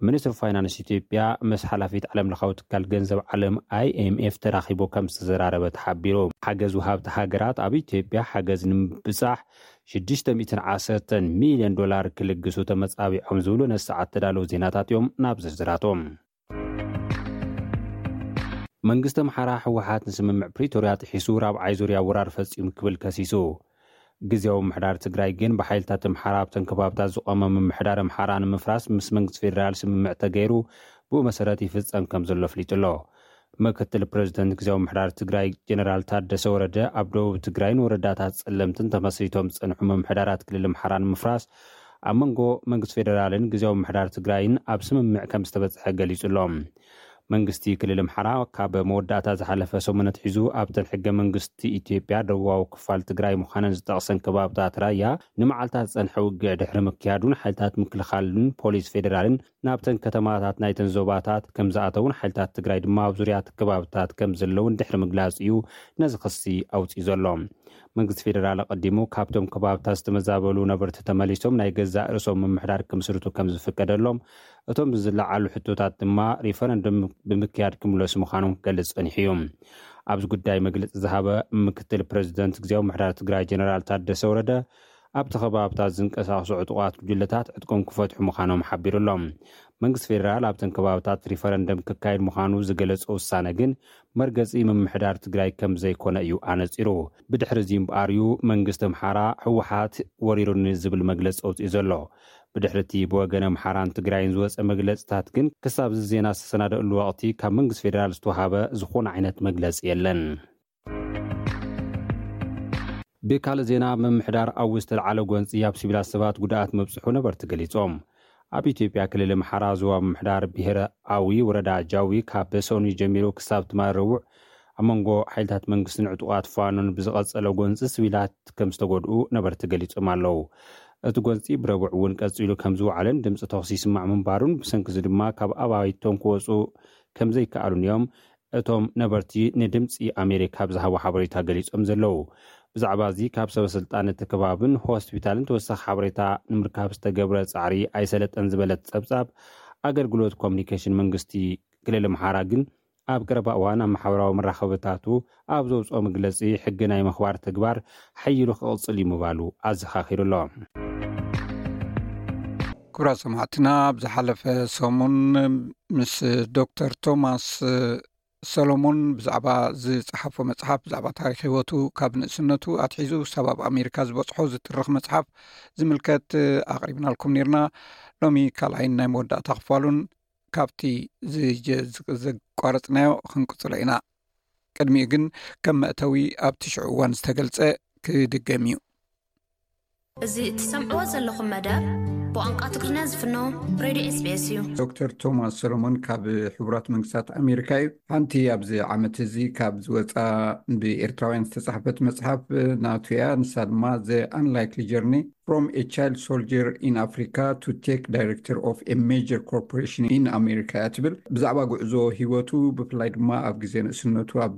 ሚኒስትሪ ፋይናንስ ኢትዮጵያ ምስ ሓላፊት ዓለም ለኻዊ ትካል ገንዘብ ዓለም ኣይኤምኤፍ ተራኺቡ ከም ዝተዘራረበ ተሓቢሩ። ሓገዝ ወሃብቲ ሃገራት ኣብ ኢትዮጵያ ሓገዝ ንምብፃሕ ሽዱሽተ ሚእትን ዓሰርተን ሚልዮን ዶላር ክልግሱ ተመፃቢዖም ዝብሉ ነሰዓት ተዳለዉ ዜናታት እዮም። ናብ ዝርዝራቶም። መንግስቲ ኣምሓራ፣ ህወሓት ንስምምዕ ፕሪቶርያ ጥሒሱ ራብዓይ ዙርያ ወራር ፈፂሙ ክብል ከሲሱ። ግዝያዊ ምምሕዳር ትግራይ ግን ብሓይልታት ኣምሓራ ኣብተን ከባብታት ዝቖመ ምምሕዳር ኣምሓራ ንምፍራስ ምስ መንግስቲ ፌደራል ስምምዕ ተገይሩ ብኡ መሰረት ይፍጸም ከም ዘሎ ኣፍሊጡ ኣሎ። ምክትል ፕሬዚደንት ግዝያዊ ምምሕዳር ትግራይ ጀነራል ታደሰ ወረደ፣ ኣብ ደቡብ ትግራይን ወረዳታት ጸለምትን ተመስሪቶም ዝጸንሑ ምምሕዳራት ክልል ኣምሓራ ንምፍራስ ኣብ መንጎ መንግስቲ ፌደራልን ግዝያዊ ምምሕዳር ትግራይን ኣብ ስምምዕ ከም ዝተበጽሐ ገሊጹ ኣሎ። መንግስቲ ክልል ኣምሓራ ካብ መወዳእታ ዝሓለፈ ሰሙን ኣትሒዙ ኣብተን ሕገ መንግስቲ ኢትዮጵያ ደቡባዊ ክፋል ትግራይ ምዃነን ዝጠቕሰን ከባብታት ራያ ንመዓልታት ዝጸንሐ ውግዕ ድሕሪ ምክያዱን ሓይልታት ምክልኻልን ፖሊስ ፌደራልን ናብተን ከተማታት ናይተን ዞባታት ከም ዝኣተውን ሓይልታት ትግራይ ድማ ኣብ ዙርያ እቲ ከባብታት ከም ዘለውን ድሕሪ ምግላጽ እዩ ነዚ ክሲ ኣውጺኡ ዘሎ። መንግስቲ ፌደራል ኣቐዲሙ ካብቶም ከባብታት ዝተመዛበሉ ነበርቲ ተመሊሶም ናይ ገዛእ ርእሶም ምምሕዳር ክምስርቱ ከም ዝፍቀደሎም፣ እቶም ዝለዓሉ ሕቶታት ድማ ሪፈረንደም ብምክያድ ክምለሱ ምዃኖም ክገልጽ ጸኒሑ እዩ። ኣብዚ ጉዳይ መግለጺ ዝሃበ ምክትል ፕሬዚደንት ግዝያዊ ምምሕዳር ትግራይ ጀነራል ታደሰ ወረደ፣ ኣብቲ ከባብታት ዝንቀሳቐሱ ዕጡቓት ጉጅለታት ዕጥቆም ክፈትሑ ምዃኖም ሓቢሩ ኣሎ። መንግስቲ ፌደራል ኣብተን ከባብታት ሪፈረንደም ክካየድ ምዃኑ ዝገለጸ ውሳነ ግን መርገጺ ምምሕዳር ትግራይ ከም ዘይኮነ እዩ ኣነጺሩ። ብድሕሪ እዚ እምበኣር እዩ መንግስቲ ኣምሓራ ህወሓት ወሪሩኒ ዝብል መግለጺ ኣውጺኡ ዘሎ። ብድሕሪ እቲ ብወገን ኣምሓራን ትግራይን ዝወጸ መግለጽታት ግን ክሳብ እዚ ዜና ዝተሰናደእሉ ወቕቲ ካብ መንግስቲ ፌደራል ዝተዋሃበ ዝኾነ ዓይነት መግለጺ የለን። ብካልእ ዜና፣ ምምሕዳር ኣዊ ዝተልዓለ ጎንፂ ኣብ ሲቪላት ሰባት ጉድኣት ምብፅሑ ነበርቲ ገሊፆም። ኣብ ኢትዮጵያ ክልል ኣምሓራ ዞባ ምምሕዳር ብሄረ ኣዊ ወረዳ ጃዊ ካብ ሰኑይ ጀሚሩ ክሳብ ትማሊ ረቡዕ ኣብ መንጎ ሓይልታት መንግስትን ዕጡቓት ፋኖን ብዝቐፀለ ጎንፂ ሲቪላት ከም ዝተጎድኡ ነበርቲ ገሊፆም ኣለዉ። እቲ ጎንፂ ብረቡዕ እውን ቀፂሉ ከም ዝወዓለን ድምፂ ተኹሲ ይስማዕ ምንባሩን ብሰንኪ እዚ ድማ ካብ ኣባይቶም ክወፁ ከም ዘይከኣሉን እዮም እቶም ነበርቲ ንድምፂ ኣሜሪካ ብዝሃቦ ሓበሬታ ገሊፆም ዘለዉ። ብዛዕባ እዚ ካብ ሰበ ስልጣን እቲ ከባብን ሆስፒታልን ተወሳኺ ሓበሬታ ንምርካብ ዝተገብረ ፃዕሪ ኣይሰለጠን ዝበለት ፀብፃብ፣ ኣገልግሎት ኮሚኒኬሽን መንግስቲ ክልል ኣምሓራ ግን ኣብ ቀረባ እዋን ኣብ ማሕበራዊ መራኸብታቱ ኣብ ዘውፅኦ መግለፂ፣ ሕጊ ናይ ምኽባር ተግባር ሓይሉ ክቕፅል እዩ ምባሉ ኣዘኻኺሩ ኣሎ። ክቡራት ሰማዕትና፣ ኣብ ዝሓለፈ ሰሙን ምስ ዶክተር ቶማስ ሰሎሞን ብዛዕባ ዝጸሓፎ መጽሓፍ፣ ብዛዕባ ታሪኽ ህይወቱ ካብ ንእስነቱ ኣትሒዙ ክሳብ ኣብ ኣሜሪካ ዝበጽሖ ዝትርኽ መጽሓፍ ዝምልከት ኣቕሪብናልኩም ኔርና። ሎሚ ካልኣይን ናይ መወዳእታ ክፋሉን ካብቲ ዝጀ-፣ ዝ-፣ ዘቋረጽናዮ ክንቅጽሎ ኢና። ቅድሚኡ ግን ከም መእተዊ ኣብቲ ሽዑ እዋን ዝተገልጸ ክድገም እዩ። እዚ እትሰምዕዎ ዘለኹም መደብ ብቋንቋ ትግርኛ ዝፍኖ ሬድዮ ኤስቢኤስ እዩ። ዶክተር ቶማስ ሰሎሞን ካብ ሕቡራት መንግስታት ኣሜሪካ እዩ። ሓንቲ ኣብዚ ዓመት እዚ ካብ ዝወፃ ብኤርትራውያን ዝተፃሕፈት መፅሓፍ ናቱ እያ። ንሳ ድማ The Unlikely Journey from a Child Soldier in Africa to Tech Director of a Major Corporation in America እያ ትብል። ብዛዕባ ጉዕዞ ህይወቱ፣ ብፍላይ ድማ ኣብ ግዜ ንእስነቱ ኣብ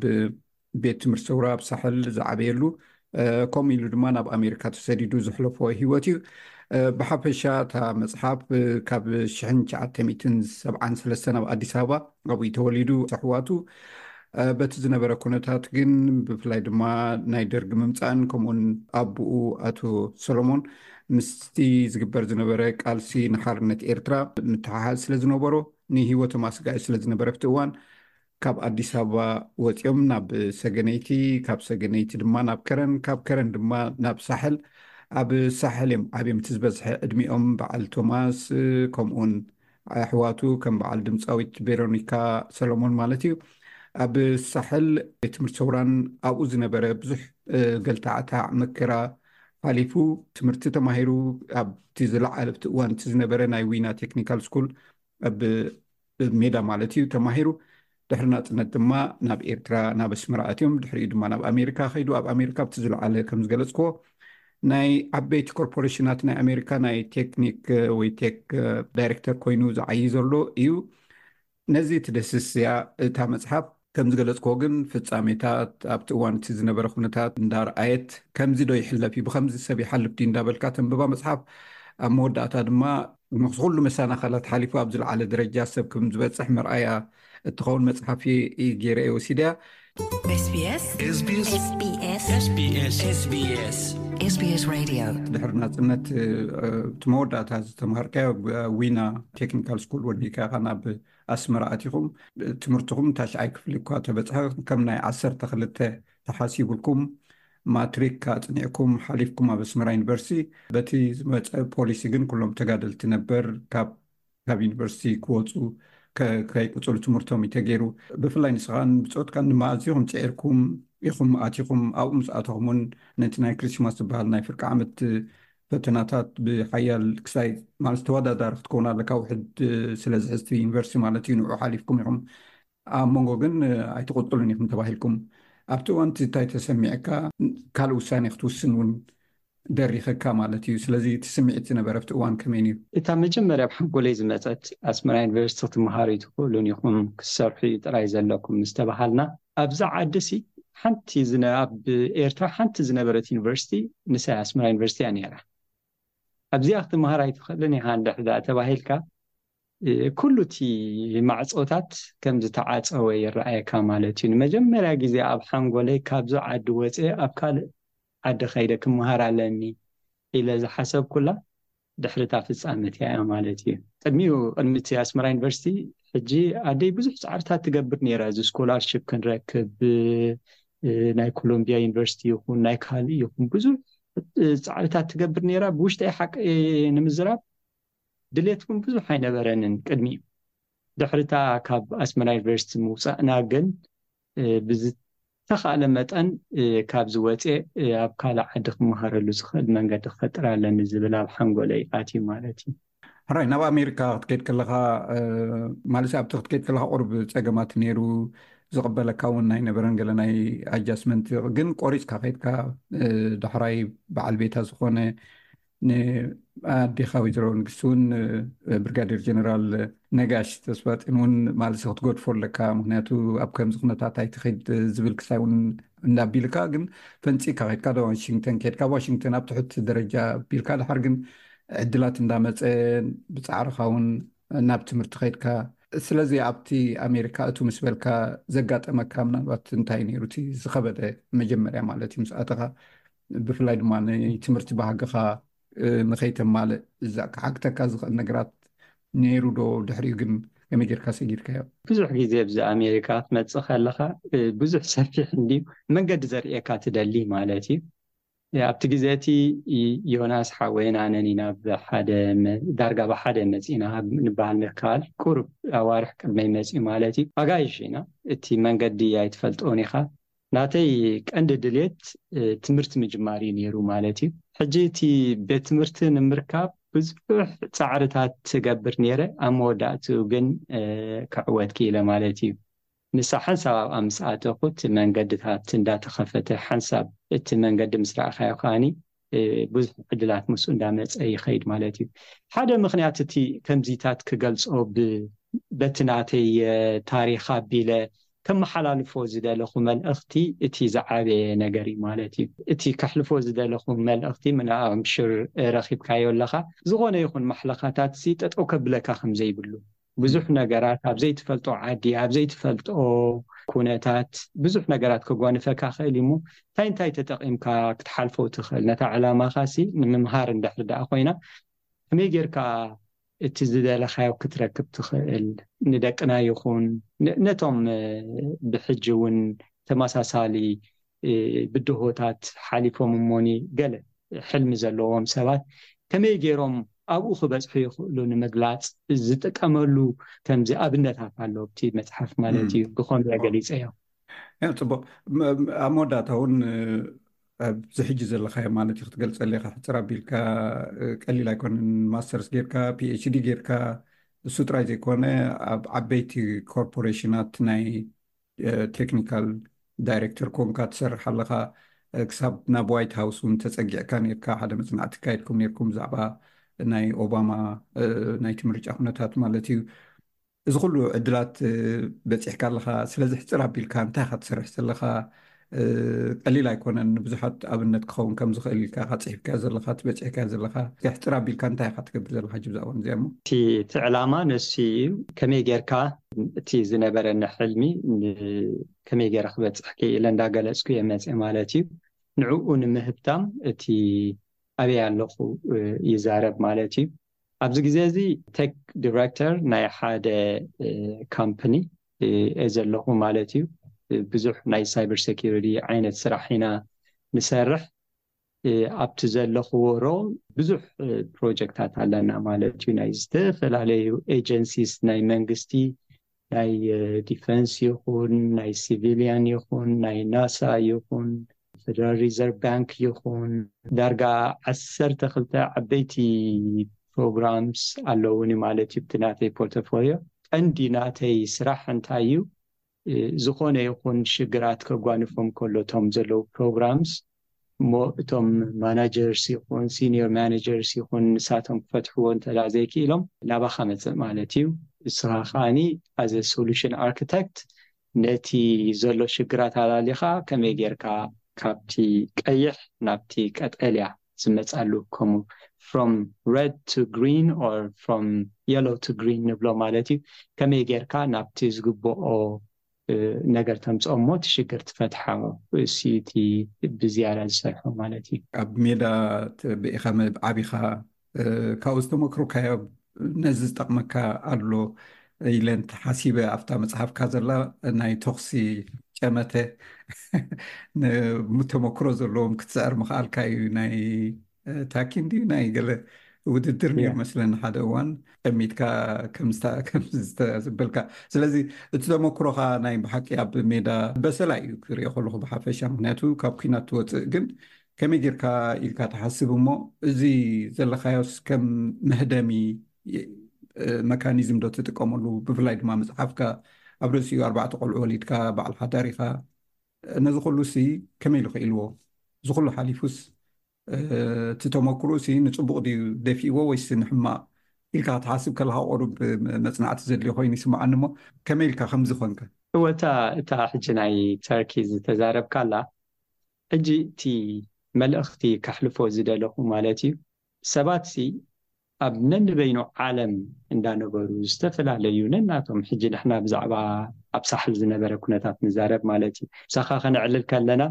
ቤት ትምህርቲ ሰውራ ኣብ ሳሕል ዝዓበየሉ፣ እ፣ ከምኡ ኢሉ ድማ ናብ ኣሜሪካ ተሰዲዱ ዘሕለፎ ህይወት እዩ። እ፣ ብሓፈሻ እታ መጽሓፍ፣ እ፣ ካብ ሽሕን ትሽዓተ ሚእትን ሰብዓን ሰለስተን ኣብ ኣዲስ ኣበባ ኣብኡ ተወሊዱ፣ ኣሕዋቱ በቲ ዝነበረ ኩነታት ግን፣ ብፍላይ ድማ ናይ ደርጊ ምምፃእን ከምኡውን ኣቦኡ ኣቶ ሰሎሞን ምስቲ ዝግበር ዝነበረ ቃልሲ ንሓርነት ኤርትራ ምትሓሓዝ ስለ ዝነበሮ፣ ንህይወቶም ኣስጋኢ ስለ ዝነበረ፣ ኣብቲ እዋን ካብ ኣዲስ ኣበባ ወፂኦም ናብ ሰገነይቲ፣ ካብ ሰገነይቲ ድማ ናብ ከረን፣ ካብ ከረን ድማ ናብ ሳሕል። ኣብ ሳሕል እዮም ዓብዮም። እቲ ዝበዝሐ ዕድሚኦም በዓል ቶማስ፣ ከምኡውን ኣሕዋቱ ከም በዓል ድምፃዊት ቬሮኒካ ሰሎሞን ማለት እዩ። ኣብ ሳሕል ቤት ትምህርቲ ሰውራን ኣብኡ ዝነበረ ብዙሕ ገልታዕታዕ መከራ ሓሊፉ፣ ትምህርቲ ተማሂሩ፣ ኣብቲ ዝለዓለ፣ ኣብቲ እዋን እቲ ዝነበረ ናይ ዊና ቴክኒካል ስኩል ኣብ ሜዳ ማለት እዩ ተማሂሩ። ድሕሪ ናጽነት ድማ ናብ ኤርትራ፣ ናብ ኣስመራ ኣትዮም። ድሕሪኡ ድማ ናብ ኣሜሪካ ከይዱ፣ ኣብ ኣሜሪካ ኣብቲ ዝለዓለ ከም ዝገለጽክዎ ናይ ዓበይቲ ኮርፖሬሽናት ናይ ኣሜሪካ ናይ ቴክኒክ ወይ ቴክ ዳይሬክተር ኮይኑ ዝዓዪ ዘሎ እዩ። ነዚ ትድህስስ እያ እታ መጽሓፍ። ከም ዝገለጽክዎ ግን ፍጻሜታት ኣብቲ እዋን እቲ ዝነበረ ኩነታት እንዳረኣየት ከምዚ ዶ ይሕለፍ እዩ፣ ብኸምዚ ሰብ ይሓልፍ ድዩ እንዳበልካ ተንብባ መጽሓፍ። ኣብ መወዳእታ ድማ ምስ ኩሉ መሰናኸላት ሓሊፉ ኣብ ዝለዓለ ደረጃ ሰብ ከም ዝበጽሕ መርኣያ እትኸውን መጽሓፍ እየ ገይረ እየ ወሲደያ። SBS SBS SBS SBS SBS Radio። ድሕሪ ናጽነት እቲ መወዳእታ ዝተምሃርካዮ ዊና ቴክኒካል ስኩል ወዲእካ ኢኻ ናብ ኣስመራ ኣቲኹም። ትምህርትኹም ታሽዓይ ክፍሊ እኳ ተበጽሐ፣ ከም ናይ ዓሰርተ ክልተ ተሓሲቡልኩም ማትሪክ ኣጽኒዕኩም ሓሊፍኩም ኣብ ኣስመራ ዩኒቨርሲቲ። በቲ ዝመጸ ፖሊሲ ግን ኩሎም ተጋደልቲ ነበር ካብ ካብ ዩኒቨርሲቲ ክወፁ ከይቅፅሉ ትምህርቶም እዩ ተገይሩ። ብፍላይ ንስኻን ብፆትካን ድማ ኣዝኹም ፅዒርኩም ኢኹም ኣቲኹም። ኣብኡ ምስ ኣተኹም እውን ነቲ ናይ ክሪስማስ ዝበሃል ናይ ፍርቂ ዓመት ፈተናታት ብሓያል ክሳይ ማለት ተወዳዳሪ ክትከውን ኣለካ፣ ውሕድ ስለ ዝሕዝቲ ዩኒቨርሲቲ ማለት እዩ። ንዑ ሓሊፍኩም ኢኹም። ኣብ መንጎ ግን ኣይትቕፅሉን ኢኹም ተባሂልኩም። ኣብቲ እዋን እቲ እንታይ ተሰሚዕካ? ካልእ ውሳኔ ክትውስን እውን ደሪኸካ ማለት እዩ። ስለዚ እቲ ስምዒት ዝነበረ ኣብቲ እዋን ከመይ ነይሩ? እታ መጀመርያ ኣብ ሓንጎለይ ዝመፀት ኣስመራ ዩኒቨርሲቲ ክትመሃሩ ኣይትኽእሉን ኢኹም፣ ክትሰርሑ እዩ ጥራይ ዘለኩም ምስ ተባሃልና፣ ኣብዚ ዓዲ ሲ ሓንቲ ዝነ- ኣብ ኤርትራ ሓንቲ ዝነበረት ዩኒቨርሲቲ ንሳ ኣስመራ ዩኒቨርሲቲ እያ ነይራ። ኣብዚኣ ክትመሃር ኣይትኽእልን ኢኻ እንድሕር ደኣ ተባሂልካ፣ ኩሉ እቲ ማዕፆታት ከም ዝተዓፀወ ይረኣየካ ማለት እዩ። ንመጀመርያ ግዜ ኣብ ሓንጎለይ ካብዚ ዓዲ ወፅየ ኣብ ካልእ ዓዲ ከይደ ክመሃር ኣለኒ ኢለ ዝሓሰብኩላ ድሕሪ እታ ፍፃመት እያ ማለት እዩ። ቅድሚኡ ቅድሚ እቲ ኣስመራ ዩኒቨርሲቲ ሕጂ ኣደይ ብዙሕ ፃዕርታት ትገብር ነይራ። እዚ ስኮላርሽፕ ክንረክብ ናይ ኮሎምቢያ ዩኒቨርሲቲ ይኹን ናይ ካልእ ይኹን ብዙሕ ፃዕርታት ትገብር ነይራ። ብውሽጠይ ሓቂ ንምዝራብ ድሌት እውን ብዙሕ ኣይነበረንን ቅድሚኡ። ድሕሪታ ካብ ኣስመራ ዩኒቨርሲቲ ምውፃእና ግን ብዝተኻእለ መጠን ካብዚ ወፅየ ኣብ ካልእ ዓዲ ክመሃረሉ ዝኽእል መንገዲ ክፈጥር ኣለኒ ዝብል ኣብ ሓንጎለይ ኣትዩ ማለት እዩ። ሕራይ፣ ናብ ኣሜሪካ ክትከይድ ከለኻ ማለት ኣብቲ ክትከይድ ከለኻ ቁሩብ ፀገማት ነይሩ፣ ዝቕበለካ እውን ኣይነበረን፣ ገለ ናይ ኣጃስመንት ግን ቆሪፅካ ከይድካ ዳሕራይ በዓል ቤታ ዝኾነ ንኣዴኻ ወይዘሮ ንግስቲ እውን ብርጋዴር ጀነራል ነጋሽ ተስፋፅን እውን ማልሲ ክትገድፎ ኣለካ። ምክንያቱ ኣብ ከምዚ ኩነታት ኣይትኸይድ ዝብል ክሳይ እውን እንዳቢልካ ግን ፈንፂካ ከድካ ዶ ዋሽንግተን ከድካ ዋሽንግተን ኣብ ትሕቲ ደረጃ ቢልካ ድሓር ግን ዕድላት እንዳመፀ ብፃዕርኻ እውን ናብ ትምህርቲ ከድካ። ስለዚ ኣብቲ ኣሜሪካ እቱ ምስ በልካ ዘጋጠመካ ምናልባት እንታይ ነይሩ እቲ ዝኸበደ መጀመርያ ማለት እዩ ምስ ኣተኻ? ብፍላይ ድማ ንትምህርቲ ባህግኻ ንኸይተማልእ እዛ ክሓግተካ ዝኽእል ነገራት ነይሩ ዶ? ድሕሪኡ ግን ከመይ ጌርካ ሰጊርካዮ? ብዙሕ ግዜ ኣብዚ ኣሜሪካ ክትመፅእ ከለኻ ብዙሕ ሰፊሕ እንድዩ መንገዲ ዘርእየካ ትደሊ ማለት እዩ። ኣብቲ ግዜ እቲ ዮናስ ሓወይን ኣነን ኢና ብሓደ ዳርጋ ብሓደ መፂና ንበሃል ንከኣል ቁሩብ ኣዋርሕ ቅድመይ መፂኡ ማለት እዩ። ኣጋይሽ ኢና፣ እቲ መንገዲ ኣይትፈልጦን ኢኻ። ናተይ ቀንዲ ድሌት ትምህርቲ ምጅማር እዩ ነይሩ ማለት እዩ። ሕጂ እቲ ቤት ትምህርቲ ንምርካብ ብዙሕ ፃዕርታት ትገብር ነይረ፣ ኣብ መወዳእትኡ ግን ክዕወት ክኢለ ማለት እዩ። ንሳ ሓንሳብ ኣብኣ ምስ ኣተኹ እቲ መንገድታት እንዳተኸፈተ ሓንሳብ እቲ መንገዲ ምስ ረኣኻዮ ከኣኒ ብዙሕ ዕድላት ምስኡ እንዳመፀ ይኸይድ ማለት እዩ። ሓደ ምኽንያት እቲ ከምዚታት ክገልፆ በቲ ናተይ ታሪኽ ኣቢለ ከመሓላልፎ ዝደለኹ መልእኽቲ እቲ ዝዓበየ ነገር እዩ ማለት እዩ። እቲ ከሕልፎ ዝደለኹ መልእኽቲ ምናኣምሽር ረኺብካዮ ኣለኻ። ዝኾነ ይኹን ማሕለኻታት ሲ ጠጠው ከብለካ ከም ዘይብሉ ብዙሕ ነገራት ኣብ ዘይትፈልጦ ዓዲ ኣብ ዘይትፈልጦ ኩነታት ብዙሕ ነገራት ከጓንፈካ ክእል እዩ። እንታይ እንታይ ተጠቒምካ ክትሓልፎ ትኽእል? ነታ ዕላማኻ ሲ ንምምሃር እንድሕር ደኣ ኮይና፣ ከመይ ጌርካ እቲ ዝደለኻዮ ክትረክብ ትኽእል? ንደቅና ይኹን ነ- ነቶም እ፣ ብሕጂ እውን ተመሳሳሊ እ፣ ብድሆታት ሓሊፎም እሞኒ ገለ ሕልሚ ዘለዎም ሰባት ከመይ ገይሮም ኣብኡ ክበፅሑ ይኽእሉ ንምግላፅ ዝጥቀመሉ ከምዚ ኣብነታት ኣሎ ኣብቲ መፅሓፍ ማለት እዩ። ብኸምኡ ገሊፀዮ። ያ ጽቡቕ። ኣብ መወዳእታ እውን ኣብዚ ሕጂ ዘለካዮ ማለት እዩ ክትገልጸለይ ኢኻ። ሕፅር ኣቢልካ ቀሊል ኣይኮነን። ማስተርስ ጌርካ፣ ፒኤችዲ ጌርካ፣ እሱ ጥራይ ዘይኮነ ኣብ ዓበይቲ ኮርፖሬሽናት ናይ ቴክኒካል ዳይሬክተር ኮንካ ትሰርሕ ኣለኻ። ክሳብ ናብ ዋይት ሃውስ እውን ተጸጊዕካ ኔርካ፣ ሓደ መጽናዕቲ ካየድኩም ኔርኩም ብዛዕባ ናይ ኦባማ ናይቲ ምርጫ ኩነታት ማለት እዩ። እዚ ኩሉ ዕድላት በጺሕካ ኣለኻ። ስለዚ ሕፅር ኣቢልካ እንታይ ኢኻ ትሰርሕ ዘለኻ? ቀሊል ኣይኮነን። ንብዙሓት ኣብነት ክኸውን ከም ዝኽእል ኢልካ ኢኻ ጽሒፍካዮ ዘለኻ፣ ትበጺሕካዮ ዘለኻ። ሕፅር ኣቢልካ እንታይ ኢኻ ትገብር ዘለኻ ሕጂ ብዛዕባ እዚኣ እሞ? እቲ እቲ ዕላማ ንሱ እዩ። ከመይ ጌርካ እቲ ዝነበረኒ ሕልሚ ን- ከመይ ገይረ ክበፅሕ ክኢለ እንዳገለፅኩ እየ መፅእ ማለት እዩ። ንዕኡ ንምህብታም እቲ ኣበይ ኣለኹ ይዛረብ ማለት እዩ። ኣብዚ ግዜ እዚ ቴክ ዲሬክተር ናይ ሓደ ካምፕኒ እየ ዘለኹ ማለት እዩ። ብዙሕ ናይ ሳይበር ሴኪሪቲ ዓይነት ስራሕ ኢና ንሰርሕ። ኣብቲ ዘለኽዎ ሮል ብዙሕ ፕሮጀክታት ኣለና ማለት እዩ። ናይ ዝተፈላለዩ ኤጀንሲስ ናይ መንግስቲ ናይ ዲፈንስ ይኹን ናይ ሲቪሊያን ይኹን ናይ ናሳ ይኹን ፌደራል ሪዘርቭ ባንክ ይኹን ዳርጋ ዓሰርተ ክልተ ዓበይቲ ፕሮግራምስ ኣለውኒ ማለት እዩ። ብቲ ናተይ ፖርቶፎሊዮ ቀንዲ ናተይ ስራሕ እንታይ እዩ? ዝኾነ ይኹን ሽግራት ከጓንፎም ከሎ እቶም ዘለዉ ፕሮግራምስ እሞ እቶም ማናጀርስ ይኹን ሲኒየር ማናጀርስ ይኹን ንሳቶም ክፈትሕዎ እንተ ዘይክኢሎም ናባኻ መፅእ ማለት እዩ። እስኻ ከዓኒ ኣዘ ሶሉሽን ኣርክቴክት ነቲ ዘሎ ሽግራት ኣላሊኻ ከመይ ጌርካ ካብቲ ቀይሕ ናብቲ ቀጠልያ ዝመፃሉ ከምኡ from red to green or from yellow to green ንብሎ ማለት እዩ። ከመይ ጌርካ ናብቲ ዝግብኦ ነገር ተምፅኦ እሞ እቲ ሽግር ትፈትሓ እሱ እቲ ብዝያዳ ዝሰርሖ ማለት እዩ። ኣብ ሜዳ ብኢኻ ዓቢኻ ካብኡ ዝተመክሩካዮ ነዚ ዝጠቕመካ ኣሎ ኢለ እንተሓሲበ ኣብታ መፅሓፍካ ዘላ ናይ ተኽሲ ጨመተ ተመክሮ ዘለዎም ክትስዕር ምኽኣልካ እዩ። ናይ ታኪን ድዩ ናይ ገለ ውድድር ነይሩ መስለኒ ሓደ እዋን ጠሚትካ ከምዝተበልካ። ስለዚ እቲ ተመክሮኻ ናይ ብሓቂ ኣብ ሜዳ በሰላ እዩ ክሪኦ ከለኹ ብሓፈሻ፣ ምክንያቱ ካብ ኩናት ትወፅእ። ግን ከመይ ጌርካ ኢልካ ትሓስብ እሞ እዚ ዘለካዮስ ከም መህደሚ መካኒዝም ዶ ትጥቀመሉ? ብፍላይ ድማ መፅሓፍካ ኣብ ርእሲኡ ኣርባዕተ ቆልዑ ወሊድካ በዓል ሓዳር ኢኻ። ነዚ ኩሉ ሲ ከመይ ኢሉ ክኢልዎ? እዚ ኩሉ ሓሊፉስ እቲ ተመክሮ ሲ ንፅቡቕ ድዩ ደፊእዎ ወይስ ንሕማቕ ኢልካ ክትሓስብ ከለካ ቁሩብ መፅናዕቲ ዘድልዮ ኮይኑ ይስምዓኒ። እሞ ከመይ ኢልካ ከምዚ ኮንካ? እወ እታ እታ ሕጂ ናይ ተርኪ ዝተዛረብካላ ሕጂ እቲ መልእኽቲ ከሕልፎ ዝደለኹ ማለት እዩ። ሰባት ሲ ኣብ ነንበይኑ ዓለም እንዳነበሩ ዝተፈላለዩ ነናቶም ሕጂ ንሕና ብዛዕባ ኣብ ሳሕል ዝነበረ ኩነታት ንዛረብ ማለት እዩ። ምሳኻ ከነዕልል ከለና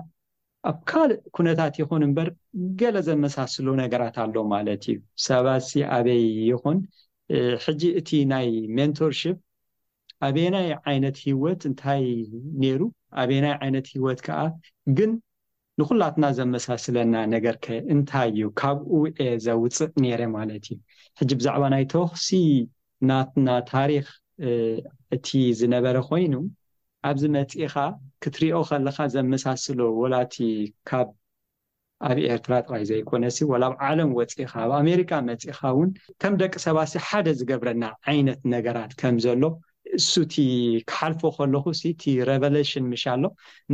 ኣብ ካልእ ኩነታት ይኹን እምበር ገለ ዘመሳስሉ ነገራት ኣሎ ማለት እዩ። ሰባት ሲ ኣበይ ይኹን ሕጂ እቲ ናይ ሜንቶርሽፕ ኣበየናይ ዓይነት ህይወት እንታይ ነይሩ ኣበየናይ ዓይነት ህይወት ከዓ ግን ንኩላትና ዘመሳስለና ነገር ከ እንታይ እዩ? ካብኡ እየ ዘውፅእ ነይረ ማለት እዩ። ሕጂ ብዛዕባ ናይ ተኹሲ ናትና ታሪክ እቲ ዝነበረ ኮይኑ ኣብዚ መፂእኻ ክትሪኦ ከለካ ዘመሳስሎ ወላቲ ካብ ኣብ ኤርትራ ጥራይ ዘይኮነሲ ወላ ኣብ ዓለም ወፂእኻ ኣብ ኣሜሪካ መፂእኻ እውን ከም ደቂ ሰባሲ ሓደ ዝገብረና ዓይነት ነገራት ከም ዘሎ እሱቲ ክሓልፎ ከለኹ እቲ ሬቨሌሽን ምሽ ኣሎ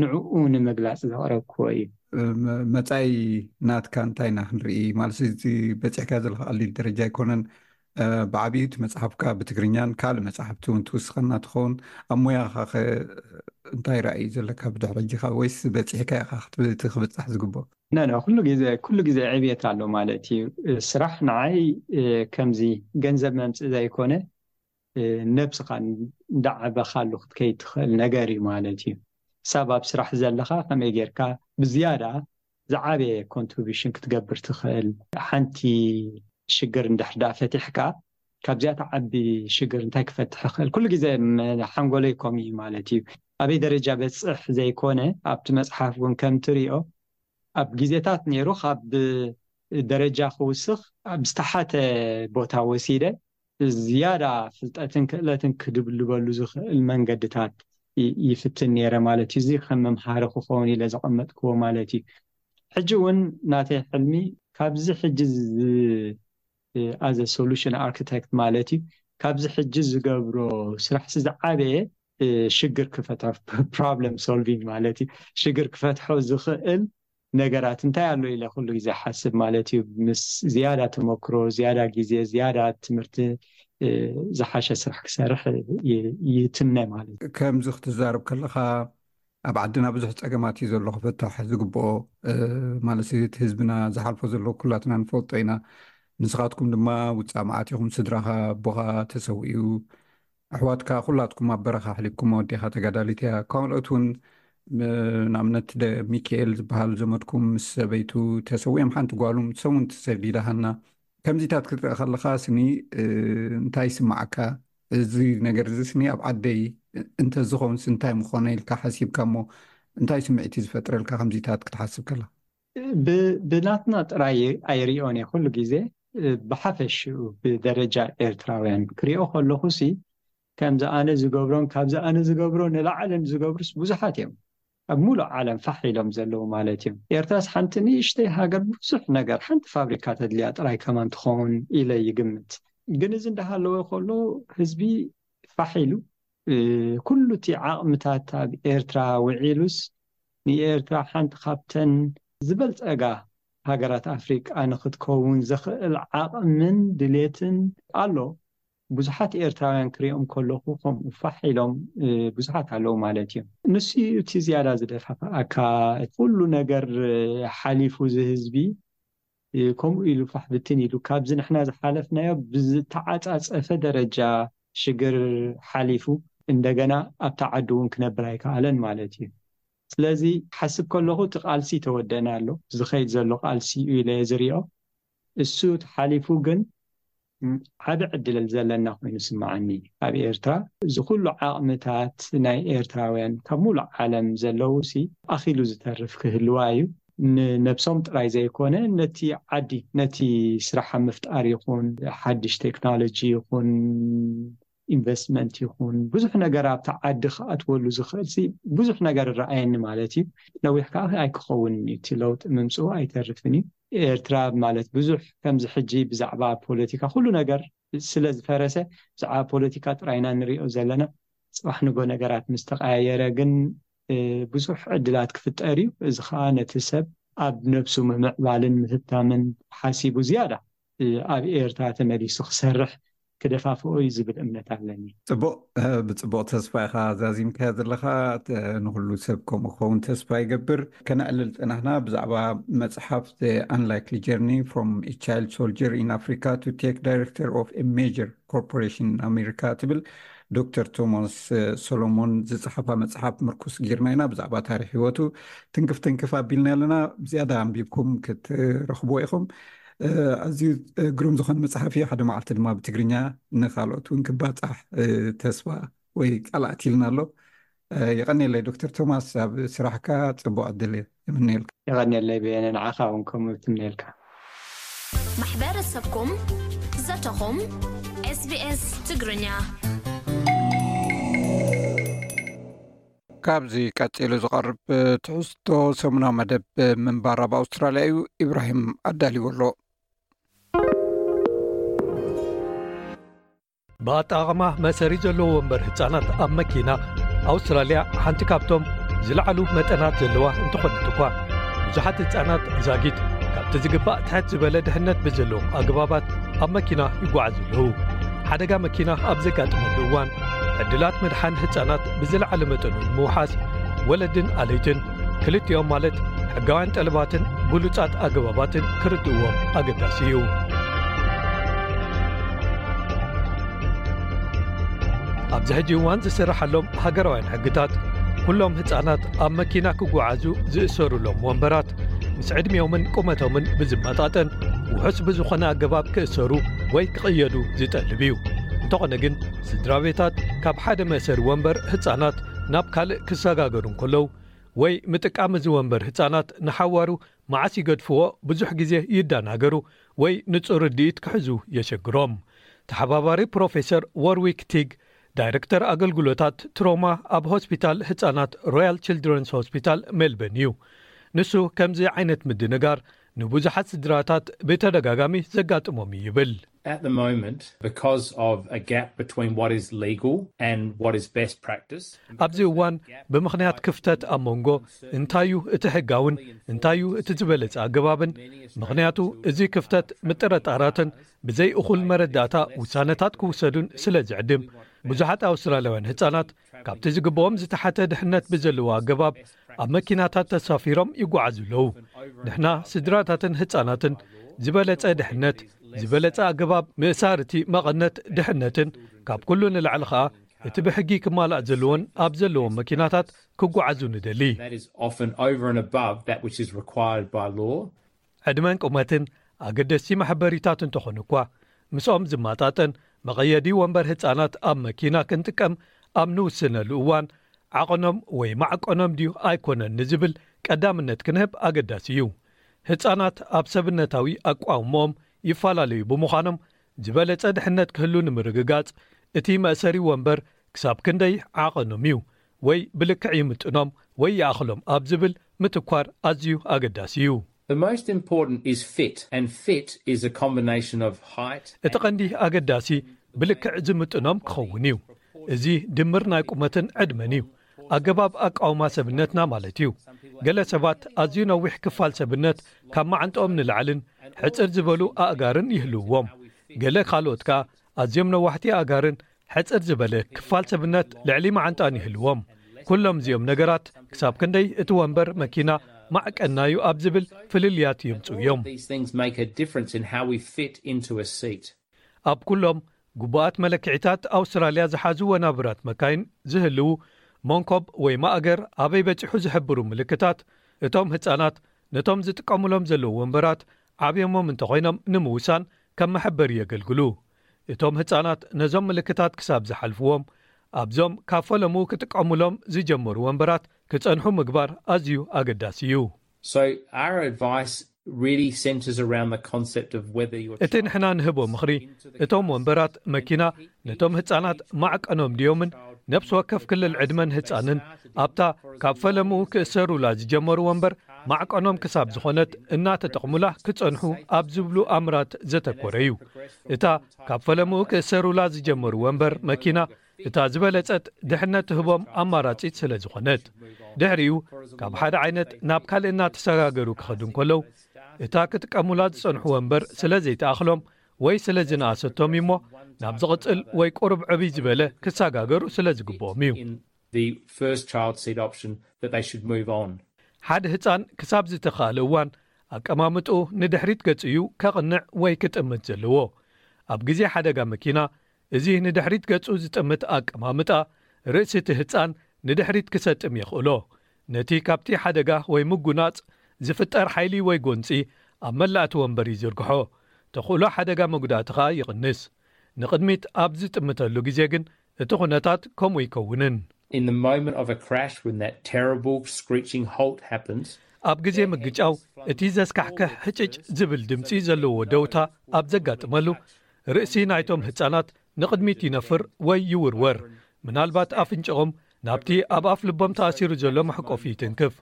ንዕኡ ንምግላፅ ዘቕረብክዎ እዩ። መፃኢ ናትካ እንታይ ኢና ክንርኢ ማለት እቲ በፂሕካ ዘለካ ቀሊል ደረጃ ኣይኮነን። ብዓብዩ እቲ መፅሓፍካ ብትግርኛን ካልእ መፅሓፍቲ እውን ትውስኸና ትኸውን። ኣብ ሞያኻ ከ እንታይ ራእይ ዘለካ ብድሕሪ ሕጂኻ ወይስ በፂሕካ ኢኻ እቲ ክብፃሕ ዝግብኦ? ነነ ኩሉ ግዜ ኩሉ ግዜ ዕብየት ኣሎ ማለት እዩ። ስራሕ ንዓይ ከምዚ ገንዘብ መምፅእ ዘይኮነ ነብስኻ እንዳዓበኻሉ ክትከይድ ትኽእል ነገር እዩ ማለት እዩ። ሳብ ኣብ ስራሕ ዘለኻ ከመይ ጌርካ ብዝያዳ ዝዓበየ ኮንትሪቢሽን ክትገብር ትኽእል? ሓንቲ ሽግር እንድሕር ደኣ ፈቲሕካ ካብዚኣ ትዓቢ ሽግር እንታይ ክፈትሕ ይኽእል? ኩሉ ግዜ ሓንጎለይ ከምኡ እዩ ማለት እዩ። ኣበይ ደረጃ በፅሕ ዘይኮነ ኣብቲ መፅሓፍ እውን ከም ትሪኦ ኣብ ግዜታት ነይሩ ካብ ደረጃ ክውስኽ ኣብ ዝተሓተ ቦታ ወሲደ ዝያዳ ፍልጠትን ክእለትን ክድብልበሉ ዝኽእል መንገድታት ይፍትን ነይረ ማለት እዩ። እዚ ከም መምሃሪ ክኸውን ኢለ ዘቐመጥክዎ ማለት እዩ። ሕጂ እውን ናተይ ሕልሚ ካብዚ ሕጂ as a solution architect ማለት እዩ፣ ካብዚ ሕጂ ዝገብሮ ስራሕ ዝዓበየ ሽግር ክፈትሖ፣ problem solving ማለት እዩ። ሽግር ክፈትሖ ዝኽእል ነገራት እንታይ ኣሎ ኢለ ኩሉ ግዜ ሓስብ ማለት እዩ። ምስ ዝያዳ ተመክሮ፣ ዝያዳ ግዜ፣ ዝያዳ ትምህርቲ ዝሓሸ ስራሕ ክሰርሕ ይትምነ ማለት እዩ። ከምዚ ክትዛረብ ከለኻ ኣብ ዓድና ብዙሕ ፀገማት እዩ ዘሎ ክፍታሕ ዝግብኦ፣ ማለት እቲ ህዝብና ዝሓልፎ ዘሎ ኩላትና ንፈልጦ ኢና። ንስኻትኩም ድማ ውፃእ መዓት ኢኹም። ስድራኻ፣ ኣቦኻ ተሰዊኡ፣ ኣሕዋትካ ኩላትኩም ኣብ በረኻ ኣሕሊፍኩም፣ ኣዴኻ ተጋዳሊት እያ። ካልኦት እውን ንኣብነት ሚካኤል ዝበሃል ዘመድኩም ምስ ሰበይቱ ተሰዊኦም፣ ሓንቲ ጓሉ ሰሙን ተሰዲዳ ሃና። ከምዚታት ክትርኢ ከለኻ ስኒ እንታይ ይስማዓካ? እዚ ነገር እዚ ስኒ ኣብ ዓደይ እንተዝኸውንስ እንታይ ምኾነ ኢልካ ሓሲብካ እሞ እንታይ ስምዒት እዩ ዝፈጥረልካ ከምዚታት ክትሓስብ ከለኻ? ብናትና ጥራይ ኣይሪኦን እየ ኩሉ ግዜ፣ ብሓፈሽኡ ብደረጃ ኤርትራውያን ክሪኦ ከለኹ ሲ ከምዚ ኣነ ዝገብሮን ካብዚ ኣነ ዝገብሮ ንላዕልን ዝገብሩስ ብዙሓት እዮም። ኣብ ሙሉእ ዓለም ፋሕ ኢሎም ዘለዉ ማለት እዮም። ኤርትራስ ሓንቲ ንእሽተይ ሃገር ብዙሕ ነገር፣ ሓንቲ ፋብሪካ ተድልያ ጥራይ ከማን ትኸውን ኢለ ይግምት። ግን እዚ እንዳሃለወ ከሎ ህዝቢ ፋሕ ኢሉ ኩሉ እቲ ዓቕምታት ኣብ ኤርትራ ውዒሉስ ንኤርትራ ሓንቲ ካብተን ዝበልጸጋ ሃገራት ኣፍሪቃ ንክትከውን ዘኽእል ዓቕምን ድሌትን ኣሎ። ብዙሓት ኤርትራውያን ክሪኦም ከለኹ ከምኡ ፋሕ ኢሎም ብዙሓት ኣለዉ ማለት እዮም። ንሱ እዩ እቲ ዝያዳ ዝደፋፍኣካ። ኩሉ ነገር ሓሊፉ እዚ ህዝቢ ከምኡ ኢሉ ፋሕ ብትን ኢሉ ካብዚ ንሕና ዝሓለፍናዮ ብዝተዓጻጸፈ ደረጃ ሽግር ሓሊፉ እንደገና ኣብታ ዓዲ እውን ክነብር ኣይከኣለን ማለት እዩ። ስለዚ ሓስብ ከለኹ እቲ ቃልሲ ተወደና ኣሎ፣ ዝኸይድ ዘሎ ቃልሲ እዩ ኢለ ዝሪኦ። እሱ ተሓሊፉ ግን ዓቢ ዕድል ዘለና ኮይኑ ስምዓኒ። ኣብ ኤርትራ እዚ ኩሉ ዓቕምታት ናይ ኤርትራውያን ካብ ሙሉእ ዓለም ዘለዉ ሲ ኣኺሉ ዝተርፍ ክህልዋ እዩ። ንነብሶም ጥራይ ዘይኮነ ነቲ ዓዲ፣ ነቲ ስራሕ ምፍጣር ይኹን ሓድሽ ቴክኖሎጂ ይኹን ኢንቨስትመንት ይኹን ብዙሕ ነገር ኣብቲ ዓዲ ክኣትወሉ ዝኽእል ሲ ብዙሕ ነገር ይረኣየኒ ማለት እዩ። ነዊሕ ከዓ ኣይክኸውን እዩ፣ እቲ ለውጢ ምምፅኡ ኣይተርፍን እዩ። ኤርትራ ማለት ብዙሕ ከምዚ ሕጂ ብዛዕባ ፖለቲካ ኩሉ ነገር ስለ ዝፈረሰ ብዛዕባ ፖለቲካ ጥራይና ንሪኦ ዘለና። ፅባሕ ንጎ ነገራት ምስ ተቀያየረ ግን ብዙሕ ዕድላት ክፍጠር እዩ። እዚ ከዓ ነቲ ሰብ ኣብ ነብሱ ምምዕባልን ምህብታምን ሓሲቡ ዝያዳ ኣብ ኤርትራ ተመሊሱ ክሰርሕ ክደፋፍኦ እዩ ዝብል እምነት ኣለኒ። ፅቡቅ። ብፅቡቅ ተስፋ ኢኻ ዛዚምካዮ ዘለኻ። ንኩሉ ሰብ ከምኡ ክኸውን ተስፋ ይገብር። ከነዕልል ፀናሕና ብዛዕባ መፅሓፍ Unlikely Journey from a Child Soldier in Africa to Tech Director of a Major Corporation in America ትብል ዶክተር ቶማስ ሶሎሞን ዝፅሓፋ መፅሓፍ ምርኩስ ጌርና ኢና ብዛዕባ ታሪክ ህይወቱ ትንክፍ ትንክፍ ኣቢልና ኣለና። ብዝያዳ ኣንቢብኩም ክትረኽብዎ ኢኹም። ኣዝዩ ግሩም ዝኾነ መፅሓፍ እዩ። ሓደ መዓልቲ ድማ ብትግርኛ ንካልኦት እውን ክባፃሕ ተስፋ ወይ ቃል ኣእትይልና ኣሎ። የቐንየለይ ዶክተር ቶማስ፣ ኣብ ስራሕካ ፅቡቅ ዕድል እየ እምነየልካ። የቐንየለይ በየነ፣ ንዓኻ እውን ከምኡ ትምነየልካ። ማሕበረሰብኩም ዘተኹም ኤስቢኤስ ትግርኛ። ካብዚ ቀጺሉ ዝቐርብ ትሕዝቶ ሰሙናዊ መደብ ምንባር ኣብ ኣውስትራልያ እዩ። ኢብራሂም ኣዳልዎ ኣሎ። ብኣጠቓቕማ መእሰሪ ዘለዎ ወንበር ህጻናት ኣብ መኪና ኣውስትራልያ ሓንቲ ካብቶም ዝለዓሉ መጠናት ዘለዋ እንተኾነት እኳ፣ ብዙሓት ህጻናት ዛጊት ካብቲ ዝግባእ ትሕት ዝበለ ድሕነት ብዘለዎም ኣገባባት ኣብ መኪና ይጓዓዙ ኣለዉ። ሓደጋ መኪና ኣብ ዘጋጥመሉ እዋን፣ ዕድላት ምድሓን ህጻናት ብዝለዓለ መጠኑ ንምውሓስ፣ ወለድን ኣለይትን ክልቲኦም ማለት ሕጋውያን ጠለባትን ብሉጻት ኣገባባትን ክርድእዎም ኣገዳሲ እዩ። ዝሕጂ እዋን ዝስርሓሎም ሃገራውያን ሕግታት፣ ኩሎም ህጻናት ኣብ መኪና ክጓዓዙ ዝእሰሩሎም ወንበራት ምስ ዕድሚኦምን ቁመቶምን ብዝመጣጠን፣ ውሑስ ብዝኾነ ኣገባብ ክእሰሩ ወይ ክቕየዱ ዝጠልብ እዩ። እንተኾነ ግን፣ ስድራ ቤታት ካብ ሓደ መእሰሪ ወንበር ህጻናት ናብ ካልእ ክሰጋገሩ እንከለዉ፣ ወይ ምጥቃም እዚ ወንበር ህጻናት ንሓዋሩ መዓስ ይገድፍዎ ብዙሕ ግዜ ይደናገሩ ወይ ንጹር ርድኢት ክሕዙ የሸግሮም። ተሓባባሪ ፕሮፌሰር ዎርዊክ ቲግ፣ ዳይረክተር ኣገልግሎታት ትሮማ ኣብ ሆስፒታል ህጻናት ሮያል ችልድረንስ ሆስፒታል ሜልበርን እዩ። ንሱ ከምዚ ዓይነት ምድንጋር ንብዙሓት ስድራታት ብተደጋጋሚ ዘጋጥሞም እዩ ይብል። At the moment, because of a gap between what is legal and what is best practice, ኣብዚ እዋን ብምኽንያት ክፍተት ኣብ መንጎ እንታዩ እቲ ሕጋውን እንታዩ እቲ ዝበለጸ ኣገባብን፣ ምኽንያቱ እዚ ክፍተት ምጥርጣራትን ብዘይ እኹል መረዳእታ ውሳነታት ክውሰዱን ስለ ዝዕድም፣ ብዙሓት ኣውስትራልያውያን ህጻናት ካብቲ ዝግብኦም ዝተሓተ ድሕነት ብዘለዎ ኣገባብ ኣብ መኪናታት ተሳፊሮም ይጓዓዙ ኣለዉ። ንሕና ስድራታትን ህጻናትን ዝበለጸ ድሕነት፣ ዝበለጸ ኣገባብ ምእሳር እቲ መቐነት ድሕነትን፣ ካብ ኩሉ ንላዕሊ ኸኣ እቲ ብሕጊ ክማላእ ዘለዎን ኣብ ዘለዎም መኪናታት ክጓዓዙ ንደሊ። that is often over and above that which is required by law. ዕድመን ቁመትን ኣገደስቲ መሐበሪታት እንተኾኑ እኳ፣ ምስኦም ዝመጣጠን መቐየዲ ወንበር ህጻናት ኣብ መኪና ክንጥቀም ኣብ ንውስነሉ እዋን፣ ዓቐኖም ወይ ማዕቀኖም ድዩ ኣይኮነን ንዝብል ቀዳምነት ክንህብ ኣገዳሲ እዩ። ህጻናት ኣብ ሰብነታዊ ኣቋውምኦም ይፈላለዩ ብምዃኖም፣ ዝበለጸ ድሕነት ክህሉ ንምርግጋጽ፣ እቲ መእሰሪ ወንበር ክሳብ ክንደይ ዓቐኖም እዩ፣ ወይ ብልክዕ ይምጥኖም ወይ ይኣኽሎም ኣብ ዝብል ምትኳር ኣዝዩ ኣገዳሲ እዩ። The most important is fit, and fit is a combination of height. እቲ ቀንዲ ኣገዳሲ ብልክዕ ዝምጥኖም ክኸውን እዩ። እዚ ድምር ናይ ቁመትን ዕድመን እዩ። ኣገባብ ኣቃውማ ሰብነትና ማለት እዩ። ገለ ሰባት ኣዝዩ ነዊሕ ክፋል ሰብነት ካብ መዓንጥኦም ንላዕልን ሕጽር ዝበሉ ኣእጋርን ይህልውዎም። ገለ ካልኦት ከኣ ኣዝዮም ነዋሕቲ ኣእጋርን ሕጽር ዝበለ ክፋል ሰብነት ልዕሊ መዓንጣን ይህልዎም። ኩሎም እዚኦም ነገራት ክሳብ ክንደይ እቲ ወንበር መኪና ማዕቀናዩ ኣብ ዝብል ፍልልያት የምጽኡ እዮም። These things make a difference in how we fit into a seat. ኣብ ኩሎም ግቡኣት መለክዒታት ኣውስትራልያ ዝሓዙ ወናብራት መካይን ዝህልዉ መንኮብ ወይ ማእገር ኣበይ በጺሑ ዝሕብሩ ምልክታት፣ እቶም ህጻናት ነቶም ዝጥቀሙሎም ዘለዉ ወንበራት ዓብዮሞም እንተኾይኖም ንምውሳን ከም መሐበሪ የገልግሉ። እቶም ህጻናት ነዞም ምልክታት ክሳብ ዝሓልፍዎም ኣብዞም ካብ ፈለሙ ክጥቀሙሎም ዝጀመሩ ወንበራት ክጸንሑ ምግባር ኣዝዩ ኣገዳሲ እዩ። So our advice really centres around the concept of whether your እቲ ንሕና ንህቦ ምኽሪ፣ እቶም ወንበራት መኪና ነቶም ህጻናት ማዕቀኖም ድዮምን ነፍሲ ወከፍ ክልል ዕድመን ህጻንን ኣብታ ካብ ፈለምኡ ክእሰሩላ ዝጀመሩ ወንበር ማዕቀኖም ክሳብ ዝኾነት እናተጠቕሙላ ክጸንሑ ኣብ ዝብሉ ኣምራት ዘተኮረ እዩ። እታ ካብ ፈለምኡ ክእሰሩላ ዝጀመሩ ወንበር መኪና እታ ዝበለጸት ድሕነት ትህቦም ኣማራጺት ስለ ዝኾነት፣ ድሕሪኡ ካብ ሓደ ዓይነት ናብ ካልእ እናተሰጋገሩ ክኸዱ እንከለዉ፣ እታ ክጥቀሙላ ዝጸንሑ ወንበር ስለ ዘይተኣኽሎም ወይ ስለ ዝነኣሰቶም እዩሞ፣ ናብ ዝቕጽል ወይ ቁሩብ ዕብይ ዝበለ ክሰጋገሩ ስለ ዝግብኦም እዩ። in the first child seat option that they should move on. ሓደ ህጻን ክሳብ ዝተኻእለ እዋን ኣቀማምጥኡ ንድሕሪት ገጹ እዩ ከቕንዕ ወይ ክጥምት ዘለዎ። ኣብ ግዜ ሓደጋ መኪና፣ እዚ ንድሕሪት ገጹ ዝጥምት ኣቀማምጣ ርእሲ እቲ ህጻን ንድሕሪት ክሰጥም የኽእሎ። ነቲ ካብቲ ሓደጋ ወይ ምጉናጽ ዝፍጠር ሓይሊ ወይ ጎንጺ ኣብ መላእቲ ወንበር ይዝርግሖ። ተኽእሎ ሓደጋ መጉዳእቲ ኸኣ ይቕንስ። ንቕድሚት ኣብ ዝጥምተሉ ግዜ ግን እቲ ኩነታት ከምኡ ይከውንን። In the moment of a crash, when that terrible screeching halt happens, ኣብ ግዜ ምግጫው እቲ ዘስካሕክሕ ሕጭጭ ዝብል ድምጺ ዘለዎ ደውታ ኣብ ዘጋጥመሉ፣ ርእሲ ናይቶም ህጻናት ንቕድሚት ይነፍር ወይ ይውርወር። ምናልባት ኣፍንጭኦም ናብቲ ኣብ ኣፍ ልቦም ተኣሲሩ ዘሎ መሕቆፊ ይትንክፍ።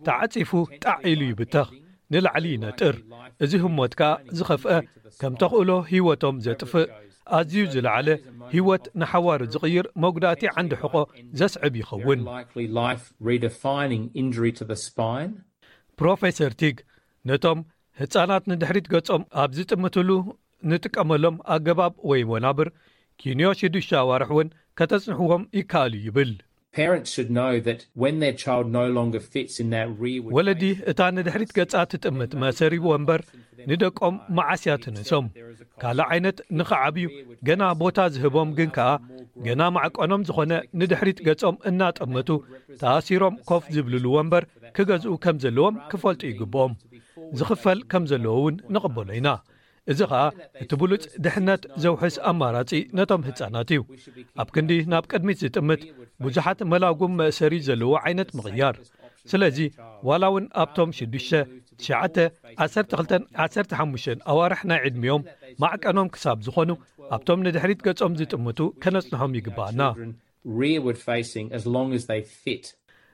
ተዓጺፉ ጣዕ ኢሉ ይብተኽ፣ ንላዕሊ ይነጥር። እዚ ህሞት ከኣ ዝኸፍአ፣ ከም ተኽእሎ ህይወቶም ዘጥፍእ፣ ኣዝዩ ዝለዓለ፣ ህይወት ንሓዋሩ ዝቕይር መጉዳእቲ ዓንዲ ሕቖ ዘስዕብ ይኸውን። likely life redefining injury to the spine. ፕሮፌሰር ቲግ ነቶም ህጻናት ንድሕሪት ገጾም ኣብ ዝጥምትሉ ንጥቀመሎም ኣገባብ ወይ ወናብር ኪንዮ ሽዱሽተ ኣዋርሕ እውን ከተጽንሕዎም ይከኣል እዩ ይብል። Parents should know that when their child no longer fits in that rearward ወለዲ እታ ንድሕሪት ገጻ ትጥምት መእሰሪ ወንበር ንደቆም መዓስ እያ ትንእሶም? ካልእ ዓይነት ንኽዓብዩ ገና ቦታ ዝህቦም ግን ከኣ ገና ማዕቀኖም ዝኾነ ንድሕሪት ገጾም እናጠመቱ ተኣሲሮም ኮፍ ዝብልሉ ወንበር ክገዝኡ ከም ዘለዎም ክፈልጡ ይግብኦም። ዝኽፈል ከም ዘለዎ እውን ንቕበሎ ኢና። እዚ ኸኣ እቲ ብሉጽ ድሕነት ዘውሕስ ኣማራጺ ነቶም ህጻናት እዩ። ኣብ ክንዲ ናብ ቅድሚት ዝጥምት ብዙሓት መላጉም መእሰሪ ዘለዎ ዓይነት ምቕያር። ስለዚ ዋላ እውን ኣብቶም ሽዱሽተ፣ ትሽዓተ፣ ዓሰርተ ክልተን ዓሰርተ ሓሙሽተን ኣዋርሕ ናይ ዕድሚኦም ማዕቀኖም ክሳብ ዝኾኑ ኣብቶም ንድሕሪት ገጾም ዝጥምቱ ከነጽንሖም ይግባኣና። Rearward facing as long as they fit.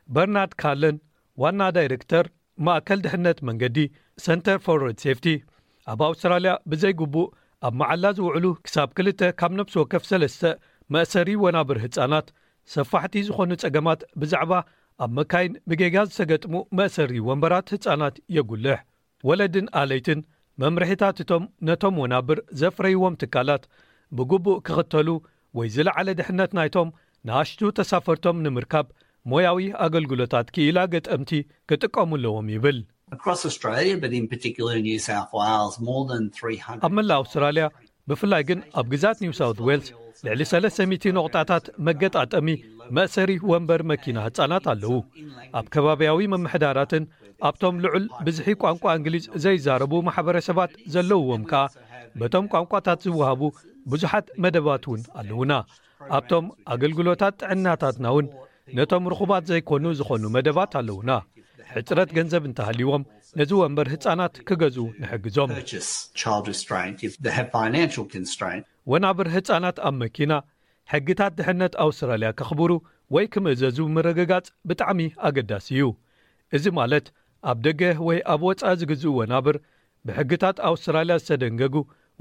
በርናርድ ካለን ዋና ዳይሬክተር ማእከል ድሕነት መንገዲ ሰንተር ፎር ሮድ ሴፍቲ ኣብ ኣውስትራልያ ብዘይግቡእ ኣብ መዓላ ዝውዕሉ ክሳብ ክልተ ካብ ነብሲ ወከፍ ሰለስተ መእሰሪ ወናብር ህጻናት ሰፋሕቲ ዝኾኑ ጸገማት ብዛዕባ ኣብ መካይን ብጌጋ ዝተገጥሙ መእሰሪ ወንበራት ህጻናት የጉልሕ። ወለድን ኣለይትን መምርሒታት እቶም ነቶም ወናብር ዘፍረይዎም ትካላት ብግቡእ ክኽተሉ ወይ ዝለዓለ ድሕነት ናይቶም ንኣሽቱ ተሳፈርቶም ንምርካብ ሞያዊ ኣገልግሎታት ክኢላ ገጠምቲ ክጥቀሙ ኣለዎም ይብል። Across Australia, but in particular in New South Wales, more than three hundred. ኣብ መላእ ኣውስትራልያ ብፍላይ ግን ኣብ ግዛት ኒው ሳውት ዌልስ ልዕሊ ሰለስተ ሚእቲ ነቑጣታት መገጣጠሚ መእሰሪ ወንበር መኪና ህጻናት ኣለዉ። ኣብ ከባብያዊ ምምሕዳራትን ኣብቶም ልዑል ብዝሒ ቋንቋ እንግሊዝ ዘይዛረቡ ማሕበረሰባት ዘለውዎም ከኣ በቶም ቋንቋታት ዝወሃቡ ብዙሓት መደባት እውን ኣለዉና። ኣብቶም ኣገልግሎታት ጥዕናታትና እውን ነቶም ርኹባት ዘይኮኑ ዝኾኑ መደባት ኣለዉና። ሕጽረት ገንዘብ እንተሃልይዎም ነዚ ወንበር ህጻናት ክገዝኡ ንሕግዞም። Purchase child restraint if they have financial constraint. ወናብር ህጻናት ኣብ መኪና ሕግታት ድሕነት ኣውስትራልያ ከኽብሩ ወይ ክምእዘዙ ምርግጋጽ ብጣዕሚ ኣገዳሲ እዩ። እዚ ማለት ኣብ ደገ ወይ ኣብ ወጻኢ ዝግዝኡ ወናብር ብሕግታት ኣውስትራልያ ዝተደንገጉ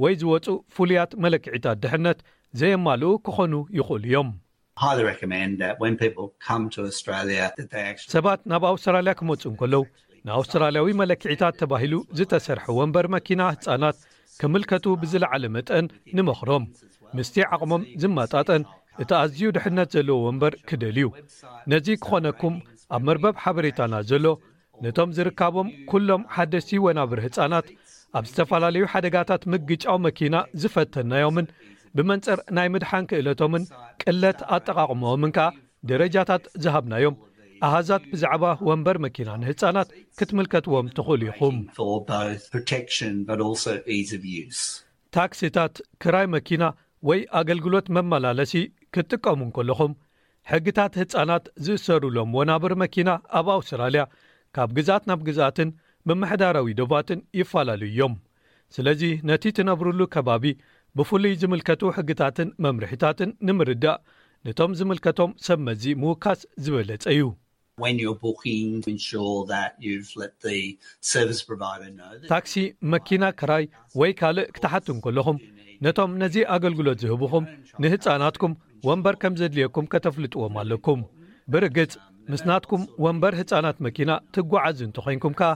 ወይ ዝወጹ ፍሉያት መለክዒታት ድሕነት ዘየማልኡ ክኾኑ ይኽእሉ እዮም። Highly recommend that when people come to Australia that they actually ሰባት ናብ ኣውስትራልያ ክመጹ እንከለዉ ንኣውስትራልያዊ መለክዒታት ተባሂሉ ዝተሰርሐ ወንበር መኪና ህጻናት ክምልከቱ ብዝለዓለ መጠን ንመኽሮም። ምስቲ ዓቕሞም ዝመጣጠን እቲ ኣዝዩ ድሕነት ዘለዎ ወንበር ክደልዩ። ነዚ ክኾነኩም ኣብ መርበብ ሓበሬታና ዘሎ ነቶም ዝርካቦም ኩሎም ሓደስቲ ወናብር ህጻናት ኣብ ዝተፈላለዩ ሓደጋታት ምግጫው መኪና ዝፈተናዮምን ብመንጽር ናይ ምድሓን ክእለቶምን ቅለት ኣጠቓቕመኦምን ከኣ ደረጃታት ዝሃብናዮም ኣሃዛት ብዛዕባ ወንበር መኪና ንህጻናት ክትምልከትዎም ትኽእሉ ኢኹም። For both protection but also ease of use. ታክሲታት፣ ክራይ መኪና ወይ ኣገልግሎት መመላለሲ ክትጥቀሙ እንከለኹም ሕግታት ህጻናት ዝእሰሩሎም ወናብር መኪና ኣብ ኣውስትራልያ ካብ ግዛት ናብ ግዛትን ምምሕዳራዊ ዶባትን ይፈላለዩ እዮም። ስለዚ ነቲ ትነብርሉ ከባቢ ብፍሉይ ዝምልከቱ ሕግታትን መምርሒታትን ንምርዳእ ነቶም ዝምልከቶም ሰብ መዚ ምውካስ ዝበለጸ እዩ። When you're booking, ensure that you've let the service provider know that ታክሲ፣ መኪና ክራይ ወይ ካልእ ክትሓቱ እንከለኹም ነቶም ነዚ ኣገልግሎት ዝህብኹም ንህጻናትኩም ወንበር ከም ዘድልየኩም ከተፍልጥዎም ኣለኩም። ብርግጽ ምስ ናትኩም ወንበር ህጻናት መኪና ትጓዓዙ እንተኾይንኩም ከኣ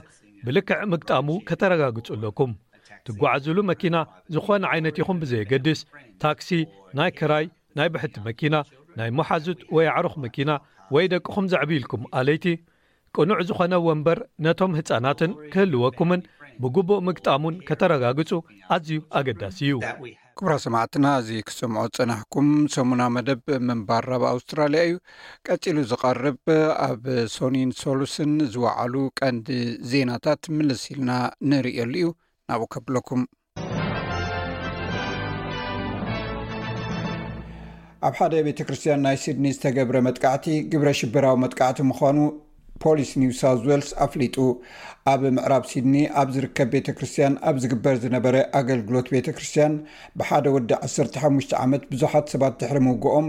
ብልክዕ ምግጣሙ ከተረጋግጹ ኣለኩም። ትጓዓዙሉ መኪና ዝኾነ ዓይነት ይኹን ብዘየገድስ ታክሲ፣ ናይ ክራይ፣ ናይ ብሕቲ መኪና፣ ናይ መሓዙት ወይ ኣዕሩኽ መኪና ወይ ደቅኹም ዘዕብይልኩም ኣለይቲ ቅኑዕ ዝኾነ ወንበር ነቶም ህጻናትን ክህልወኩምን ብግቡእ ምግጣሙን ከተረጋግጹ ኣዝዩ ኣገዳሲ እዩ። that we ክቡራ ሰማዕትና፣ እዚ ክትሰምዖ ዝጸናሕኩም ሰሙና መደብ ምንባር ኣብ ኣውስትራልያ እዩ። ቀጺሉ ዝቐርብ ኣብ ሶኒን ሶሉስን ዝወዓሉ ቀንዲ ዜናታት ምልስ ኢልና ንርእየሉ እዩ። ናብኡ ከብለኩም። ኣብ ሓደ ቤተ ክርስቲያን ናይ ሲድኒ ዝተገብረ መጥቃዕቲ ግብረ ሽበራዊ መጥቃዕቲ ምዃኑ ፖሊስ ኒው ሳውዝ ዌልስ ኣፍሊጡ። ኣብ ምዕራብ ሲድኒ ኣብ ዝርከብ ቤተ ክርስቲያን ኣብ ዝግበር ዝነበረ ኣገልግሎት ቤተ ክርስቲያን ብሓደ ወዲ ዓሰርተ ሓሙሽተ ዓመት ብዙሓት ሰባት ድሕሪ ምውግኦም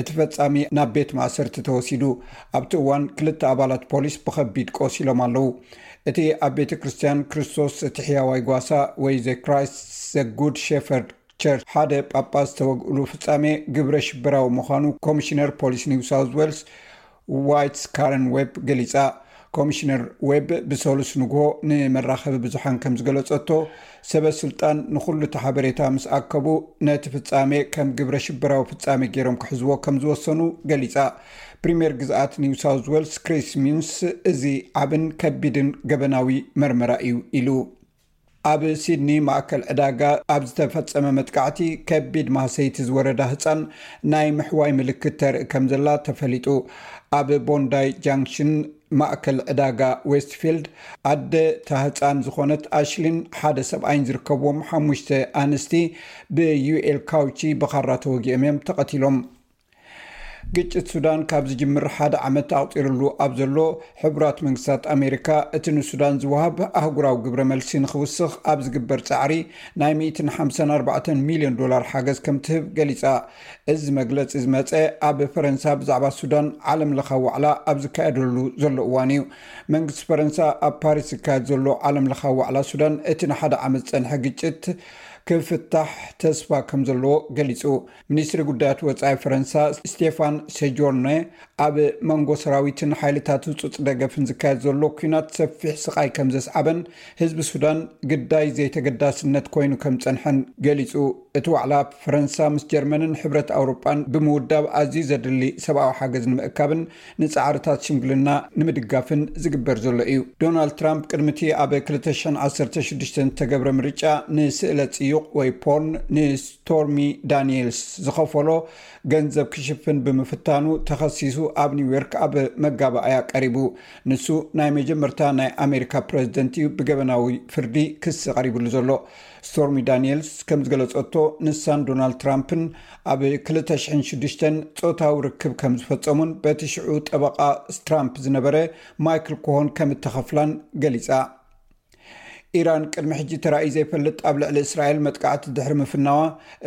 እቲ ፈጻሚ ናብ ቤት ማእሰርቲ ተወሲዱ። ኣብቲ እዋን ክልተ ኣባላት ፖሊስ ብኸቢድ ቆሲሎም ኣለዉ። እቲ ኣብ ቤተ ክርስቲያን ክርስቶስ እቲ ሕያዋይ ጓሳ ወይ ዘ ክራይስት ዘ ጉድ ሼፈርድ ቸርች ሓደ ጳጳስ ዝተወግእሉ ፍጻሜ ግብረ ሽበራዊ ምዃኑ ኮሚሽነር ፖሊስ ኒው ሳውዝ ዌልስ ዋይትስ ካረን ዌብ ገሊጻ። ኮሚሽነር ዌብ ብሰሉስ ንግሆ ንመራኸቢ ብዙሓን ከም ዝገለጸቶ፣ ሰበ ስልጣን ንኹሉ እቲ ሓበሬታ ምስ ኣከቡ ነቲ ፍጻሜ ከም ግብረ ሽበራዊ ፍጻሜ ገይሮም ክሕዝዎ ከም ዝወሰኑ ገሊጻ። ፕሪምየር ግዝኣት ኒው ሳውዝ ዌልስ ክሪስ ሚንስ፣ እዚ ዓብን ከቢድን ገበናዊ መርመራ እዩ ኢሉ። ኣብ ሲድኒ ማእከል ዕዳጋ ኣብ ዝተፈጸመ መጥቃዕቲ፣ ከቢድ ማህሰይቲ ዝወረዳ ህጻን ናይ ምሕዋይ ምልክት ተርኢ ከም ዘላ ተፈሊጡ። ኣብ ቦንዳይ ጃንክሽን ማእከል ዕዳጋ ዌስትፊልድ፣ ኣደ እታ ህጻን ዝኾነት ኣሽሊን ሓደ ሰብኣይን ዝርከብዎም ሓሙሽተ ኣንስቲ ብዩኤል ካውቺ ብኻራ ተወጊኦም እዮም ተቐቲሎም። ግጭት ሱዳን ካብ ዝጅምር ሓደ ዓመት ኣቑጺርሉ ኣብ ዘሎ፣ ሕቡራት መንግስታት ኣሜሪካ እቲ ንሱዳን ዝወሃብ ኣህጉራዊ ግብረ መልሲ ንኽውስኽ ኣብ ዝግበር ጻዕሪ ናይ ሚእትን ሓምሳን ኣርባዕተን ሚልዮን ዶላር ሓገዝ ከም ትህብ ገሊጻ። እዚ መግለጺ ዝመጸ ኣብ ፈረንሳ ብዛዕባ ሱዳን ዓለም ለኻዊ ዋዕላ ኣብ ዝካየደሉ ዘሎ እዋን እዩ። መንግስቲ ፈረንሳ ኣብ ፓሪስ ዝካየድ ዘሎ ዓለም ለኻዊ ዋዕላ ሱዳን እቲ ንሓደ ዓመት ዝጸንሐ ግጭት ክፍታሕ ተስፋ ከም ዘለዎ ገሊጹ። ሚኒስትሪ ጉዳያት ወጻኢ ፈረንሳ ስቴፋን ሴጆርነ ኣብ መንጎ ሰራዊትን ሓይልታት ህጹጽ ደገፍን ዝካየድ ዘሎ ኲናት ሰፊሕ ስቓይ ከም ዘስዓበን ህዝቢ ሱዳን ግዳይ ዘይተገዳስነት ኮይኑ ከም ጸንሐን ገሊጹ። እቲ ዋዕላ ፈረንሳ ምስ ጀርመንን ሕብረት ኣውሮጳን ብምውዳብ ኣዝዩ ዘድሊ ሰብኣዊ ሓገዝ ንምእካብን ንጻዕርታት ሽምግልና ንምድጋፍን ዝግበር ዘሎ እዩ። ዶናልድ ትራምፕ ቅድሚቲ ኣብ ክልተ ሽሕን ዓሰርተ ሽዱሽተን ዝተገብረ ምርጫ ንስእለ ጽዩቕ ወይ ፖርን ንስቶርሚ ዳኒኤልስ ዝኸፈሎ ገንዘብ ክሽፍን ብምፍታኑ ተኸሲሱ ኣብ ኒውዮርክ ኣብ መጋባእያ ቀሪቡ። ንሱ ናይ መጀመርታ ናይ ኣሜሪካ ፕረዚደንት እዩ ብገበናዊ ፍርዲ ክሲ ቀሪብሉ ዘሎ። ስቶርሚ ዳኒኤልስ ከም ዝገለጸቶ፣ ንሳን ዶናልድ ትራምፕን ኣብ ክልተ ሽሕን ሽዱሽተን ጾታዊ ርክብ ከም ዝፈጸሙን በቲ ሽዑ ጠበቓ ትራምፕ ዝነበረ ማይክል ኮሆን ከም እተኸፍላን ገሊጻ። ኢራን ቅድሚ ሕጂ ተራእዩ ዘይፈልጥ ኣብ ልዕሊ እስራኤል መጥቃዕቲ ድሕሪ ምፍናዋ፣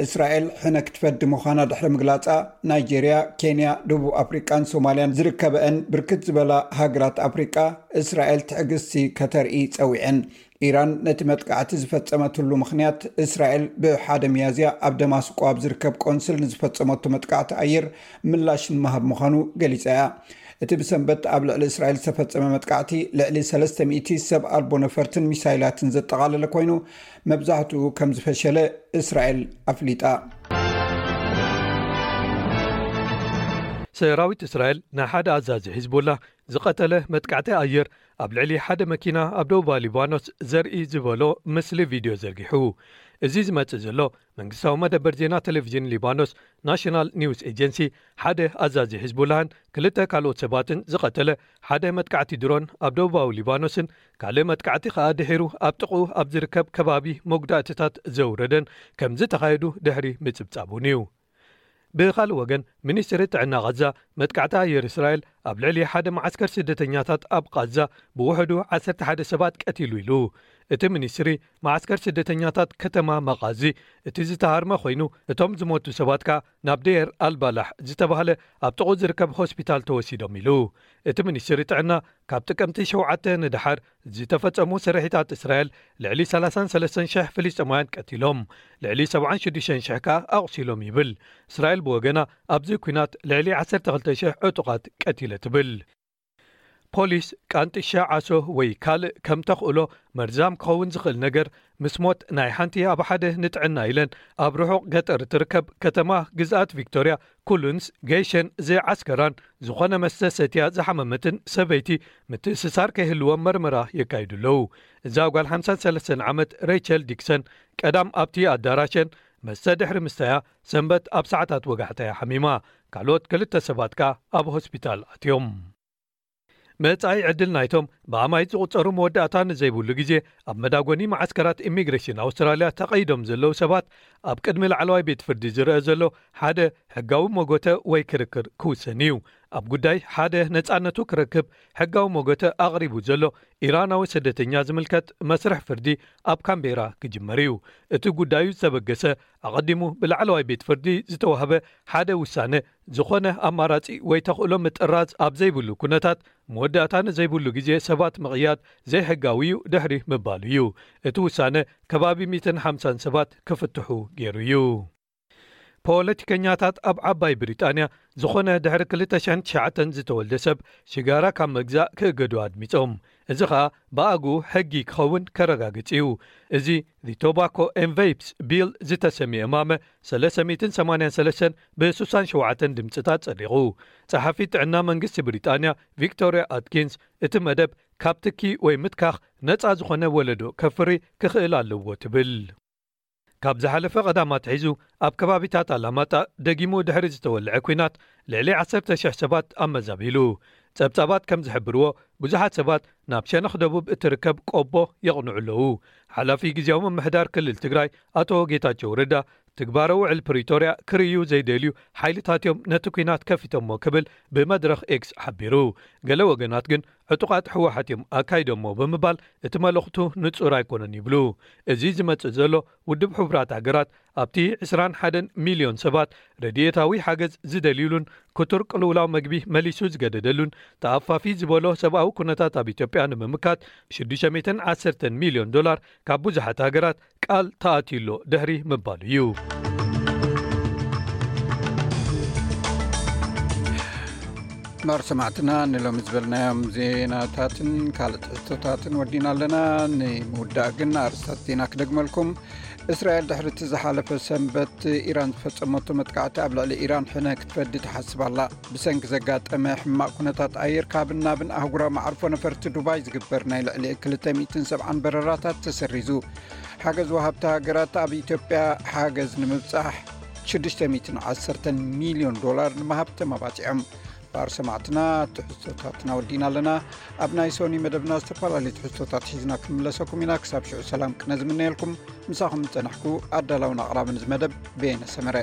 እስራኤል ሕነ ክትፈዲ ምዃና ድሕሪ ምግላጻ፣ ናይጄርያ፣ ኬንያ፣ ደቡብ ኣፍሪቃን ሶማልያን ዝርከበአን ብርክት ዝበላ ሃገራት ኣፍሪቃ፣ እስራኤል ትዕግስቲ ከተርኢ ጸዊዐን። ኢራን ነቲ መጥቃዕቲ ዝፈጸመትሉ ምኽንያት፣ እስራኤል ብሓደ ሚያዝያ ኣብ ደማስቆ ኣብ ዝርከብ ቆንስል ንዝፈጸመቶ መጥቃዕቲ ኣየር ምላሽ ንምሃብ ምዃኑ ገሊጻ እያ። እቲ ብሰንበት ኣብ ልዕሊ እስራኤል ዝተፈጸመ መጥቃዕቲ፣ ልዕሊ ሰለስተ ሚእቲ ሰብ ኣልቦ ነፈርትን ሚሳይላትን ዘጠቓለለ ኮይኑ፣ መብዛሕትኡ ከም ዝፈሸለ እስራኤል ኣፍሊጣ። ሰራዊት እስራኤል ንሓደ ኣዛዚ ሒዝቦላ ዝቐተለ መጥቃዕቲ ኣየር ኣብ ልዕሊ ሓደ መኪና ኣብ ደቡባዊ ሊባኖስ ዘርኢ ዝበሎ ምስሊ ቪድዮ ዘርጊሑ። እዚ ዝመጽእ ዘሎ፣ መንግስታዊ መደበር ዜና ቴሌቪዥን ሊባኖስ ናሽናል ኒውስ ኤጀንሲ፣ ሓደ ኣዛዚ ሒዝቡላህን ክልተ ካልኦት ሰባትን ዝቐተለ ሓደ መጥቃዕቲ ድሮን ኣብ ደቡባዊ ሊባኖስን ካልእ መጥቃዕቲ ከኣ ድሒሩ ኣብ ጥቕኡ ኣብ ዝርከብ ከባቢ መጉዳእትታት ዘውረደን ከም ዝተኻየዱ ድሕሪ ምጽብጻቡን እዩ። ብኻልእ ወገን፣ ሚኒስትሪ ጥዕና ቓዛ፣ መጥቃዕቲ ኣየር እስራኤል ኣብ ልዕሊ ሓደ መዓስከር ስደተኛታት ኣብ ቓዛ ብውሕዱ ዓሰርተ ሓደ ሰባት ቀቲሉ ኢሉ። እቲ ሚኒስትሪ፣ መዓስከር ስደተኛታት ከተማ መቓዚ እቲ ዝተሃርመ ኮይኑ፣ እቶም ዝሞቱ ሰባት ከኣ ናብ ደየር ኣልባላሕ ዝተባህለ ኣብ ጥቕኡ ዝርከብ ሆስፒታል ተወሲዶም ኢሉ። እቲ ሚኒስትሪ ጥዕና፣ ካብ ጥቅምቲ ሸውዓተ ንደሓር ዝተፈጸሙ ስርሒታት እስራኤል ልዕሊ ሰላሳን ሰለስተን ሽሕ ፍልስጤማውያን ቀቲሎም፣ ልዕሊ ሰብዓን ሽዱሽተን ሽሕ ከኣ ኣቑሲሎም ይብል። እስራኤል ብወገና፣ ኣብዚ ኲናት ልዕሊ ዓሰርተ ክልተ ሽሕ ዕጡቓት ቀቲለ ትብል። ፖሊስ፣ ቃንጥሻ ዓሶ ወይ ካልእ ከም ተኽእሎ መርዛም ክኸውን ዝኽእል ነገር፣ ምስ ሞት ናይ ሓንቲ ኣብ ሓደ ንጥዕና ኢለን ኣብ ርሑቕ ገጠር እትርከብ ከተማ ግዝኣት ቪክቶርያ፣ ኩሉንስ፣ ገይሸን ዘይዓስከራን ዝኾነ መስተ ሰትያ ዝሓመመትን ሰበይቲ ምትእስሳር ከይህልዎም መርመራ የካይዱ ኣለዉ። እዛ ጓል ሓምሳን ሰለስተን ዓመት ሬቸል ዲክሰን፣ ቀዳም ኣብቲ ኣዳራሸን መስተ ድሕሪ ምስታያ፣ ሰንበት ኣብ ሰዓታት ወጋሕታ እያ ሓሚማ። ካልኦት ክልተ ሰባት ከኣ ኣብ ሆስፒታል ኣትዮም። መጻኢ ዕድል ናይቶም ብኣማኢት ዝቑጸሩ መወዳእታ ንዘይብሉ ግዜ ኣብ መዳጎኒ መዓስከራት ኢሚግሬሽን ኣውስትራልያ ተቐይዶም ዘለዉ ሰባት፣ ኣብ ቅድሚ ላዕለዋይ ቤት ፍርዲ ዝረአ ዘሎ ሓደ ሕጋዊ መጎተ ወይ ክርክር ክውሰን እዩ። ኣብ ጉዳይ ሓደ ነጻነቱ ክረክብ ሕጋዊ መጎተ ኣቕሪቡ ዘሎ ኢራናዊ ስደተኛ ዝምልከት መስርሕ ፍርዲ ኣብ ካምቤራ ክጅመር እዩ። እቲ ጉዳዩ ዝተበገሰ፣ ኣቐዲሙ ብላዕለዋይ ቤት ፍርዲ ዝተዋህበ ሓደ ውሳነ፣ ዝኾነ ኣማራጺ ወይ ተኽእሎ ምጥራዝ ኣብ ዘይብሉ ኩነታት፣ መወዳእታ ንዘይብሉ ግዜ ሰባት ምቕያድ ዘይሕጋዊ እዩ ድሕሪ ምባሉ እዩ። እቲ ውሳነ፣ ከባቢ ሚእትን ሓምሳን ሰባት ክፍትሑ ገይሩ እዩ። ፖለቲከኛታት ኣብ ዓባይ ብሪጣንያ፣ ዝኾነ ድሕሪ ክልተ ሽሕን ትሽዓተን ዝተወልደ ሰብ ሽጋራ ካብ መግዛእ ክእገዱ ኣድሚጾም። እዚ ኸኣ ብኣግኡ ሕጊ ክኸውን ከረጋግጽ እዩ። እዚ The Tobacco and Vapes Bill ዝተሰምየ እማመ ሰለስተ ሚእትን ሰማንያን ሰለስተን ብ67 ድምጽታት ጸዲቑ። ጸሓፊት ጥዕና መንግስቲ ብሪጣንያ ቪክቶርያ ኣትኪንስ፣ እቲ መደብ ካብ ትኪ ወይ ምትካኽ ነጻ ዝኾነ ወለዶ ከፍሪ ክኽእል ኣለዎ ትብል። ካብ ዝሓለፈ ቀዳም ኣትሒዙ ኣብ ከባቢታት ኣላማጣ ደጊሙ ድሕሪ ዝተወልዐ ኲናት ልዕሊ ዓሰርተ ሽሕ ሰባት ኣመዛቢሉ። ጸብጻባት ከም ዝሕብርዎ፣ ብዙሓት ሰባት ናብ ሸነኽ ደቡብ እትርከብ ቆቦ የቕንዑ ኣለዉ። ሓላፊ ግዜያዊ ምምሕዳር ክልል ትግራይ ኣቶ ጌታቸው ረዳ፣ ትግባረ ውዕል ፕሪቶርያ ክርእዩ ዘይደልዩ ሓይልታት እዮም ነቲ ኲናት ከፊቶሞ ክብል ብመድረኽ ኤክስ ሓቢሩ። ገለ ወገናት ግን ዕጡቓት ህወሓት እዮም ኣካይዶሞ ብምባል እቲ መልእኽቱ ንጹር ኣይኮነን ይብሉ። እዚ ዝመጽእ ዘሎ ውድብ ሕቡራት ሃገራት ኣብቲ ዕስራን ሓደን ሚልዮን ሰባት ረድኤታዊ ሓገዝ ዝደልዩሉን ክቱር ቅልውላው መግቢ መሊሱ ዝገደደሉን ተኣፋፊ ዝበሎ ሰብኣዊ ኩነታት ኣብ ኢትዮጵያ ንምምካት ሽዱሽተ ሚእትን ዓሰርተን ሚልዮን ዶላር ካብ ብዙሓት ሃገራት ቃል ተኣትዩሎ ድሕሪ ምባሉ እዩ። ማር ሰማዕትና ንሎሚ ዝበልናዮም ዜናታትን ካልእ ትሕዝቶታትን ወዲና ኣለና። ንምውዳእ ግን ኣርእስታት ዜና ክደግመልኩም። እስራኤል ድሕሪ እቲ ዝሓለፈ ሰንበት ኢራን ዝፈጸመቶ መጥቃዕቲ ኣብ ልዕሊ ኢራን ሕነ ክትፈዲ ትሓስብ ኣላ። ብሰንኪ ዘጋጠመ ሕማቕ ኩነታት ኣየር ካብን ናብን ኣህጉራዊ መዓርፎ ነፈርቲ ዱባይ ዝግበር ናይ ልዕሊ ክልተ ሚእትን ሰብዓን በረራታት ተሰሪዙ። ሓገዝ ወሃብቲ ሃገራት ኣብ ኢትዮጵያ ሓገዝ ንምብጻሕ ሽዱሽተ ሚእትን ዓሰርተን ሚልዮን ዶላር ንምሃብ ተመባጺዖም። ባር ሰማዕትና ትሕዝቶታትና ወዲና ኣለና። ኣብ ናይ ሶኒ መደብና ዝተፈላለዩ ትሕዝቶታት ሒዝና ክንምለሰኩም ኢና። ክሳብ ሽዑ ሰላም ቅነ ዝምነየልኩም። ምሳኹም ዝጸናሕኩ ኣዳላውን ኣቕራብን እዚ መደብ ቤነ ሰመረ።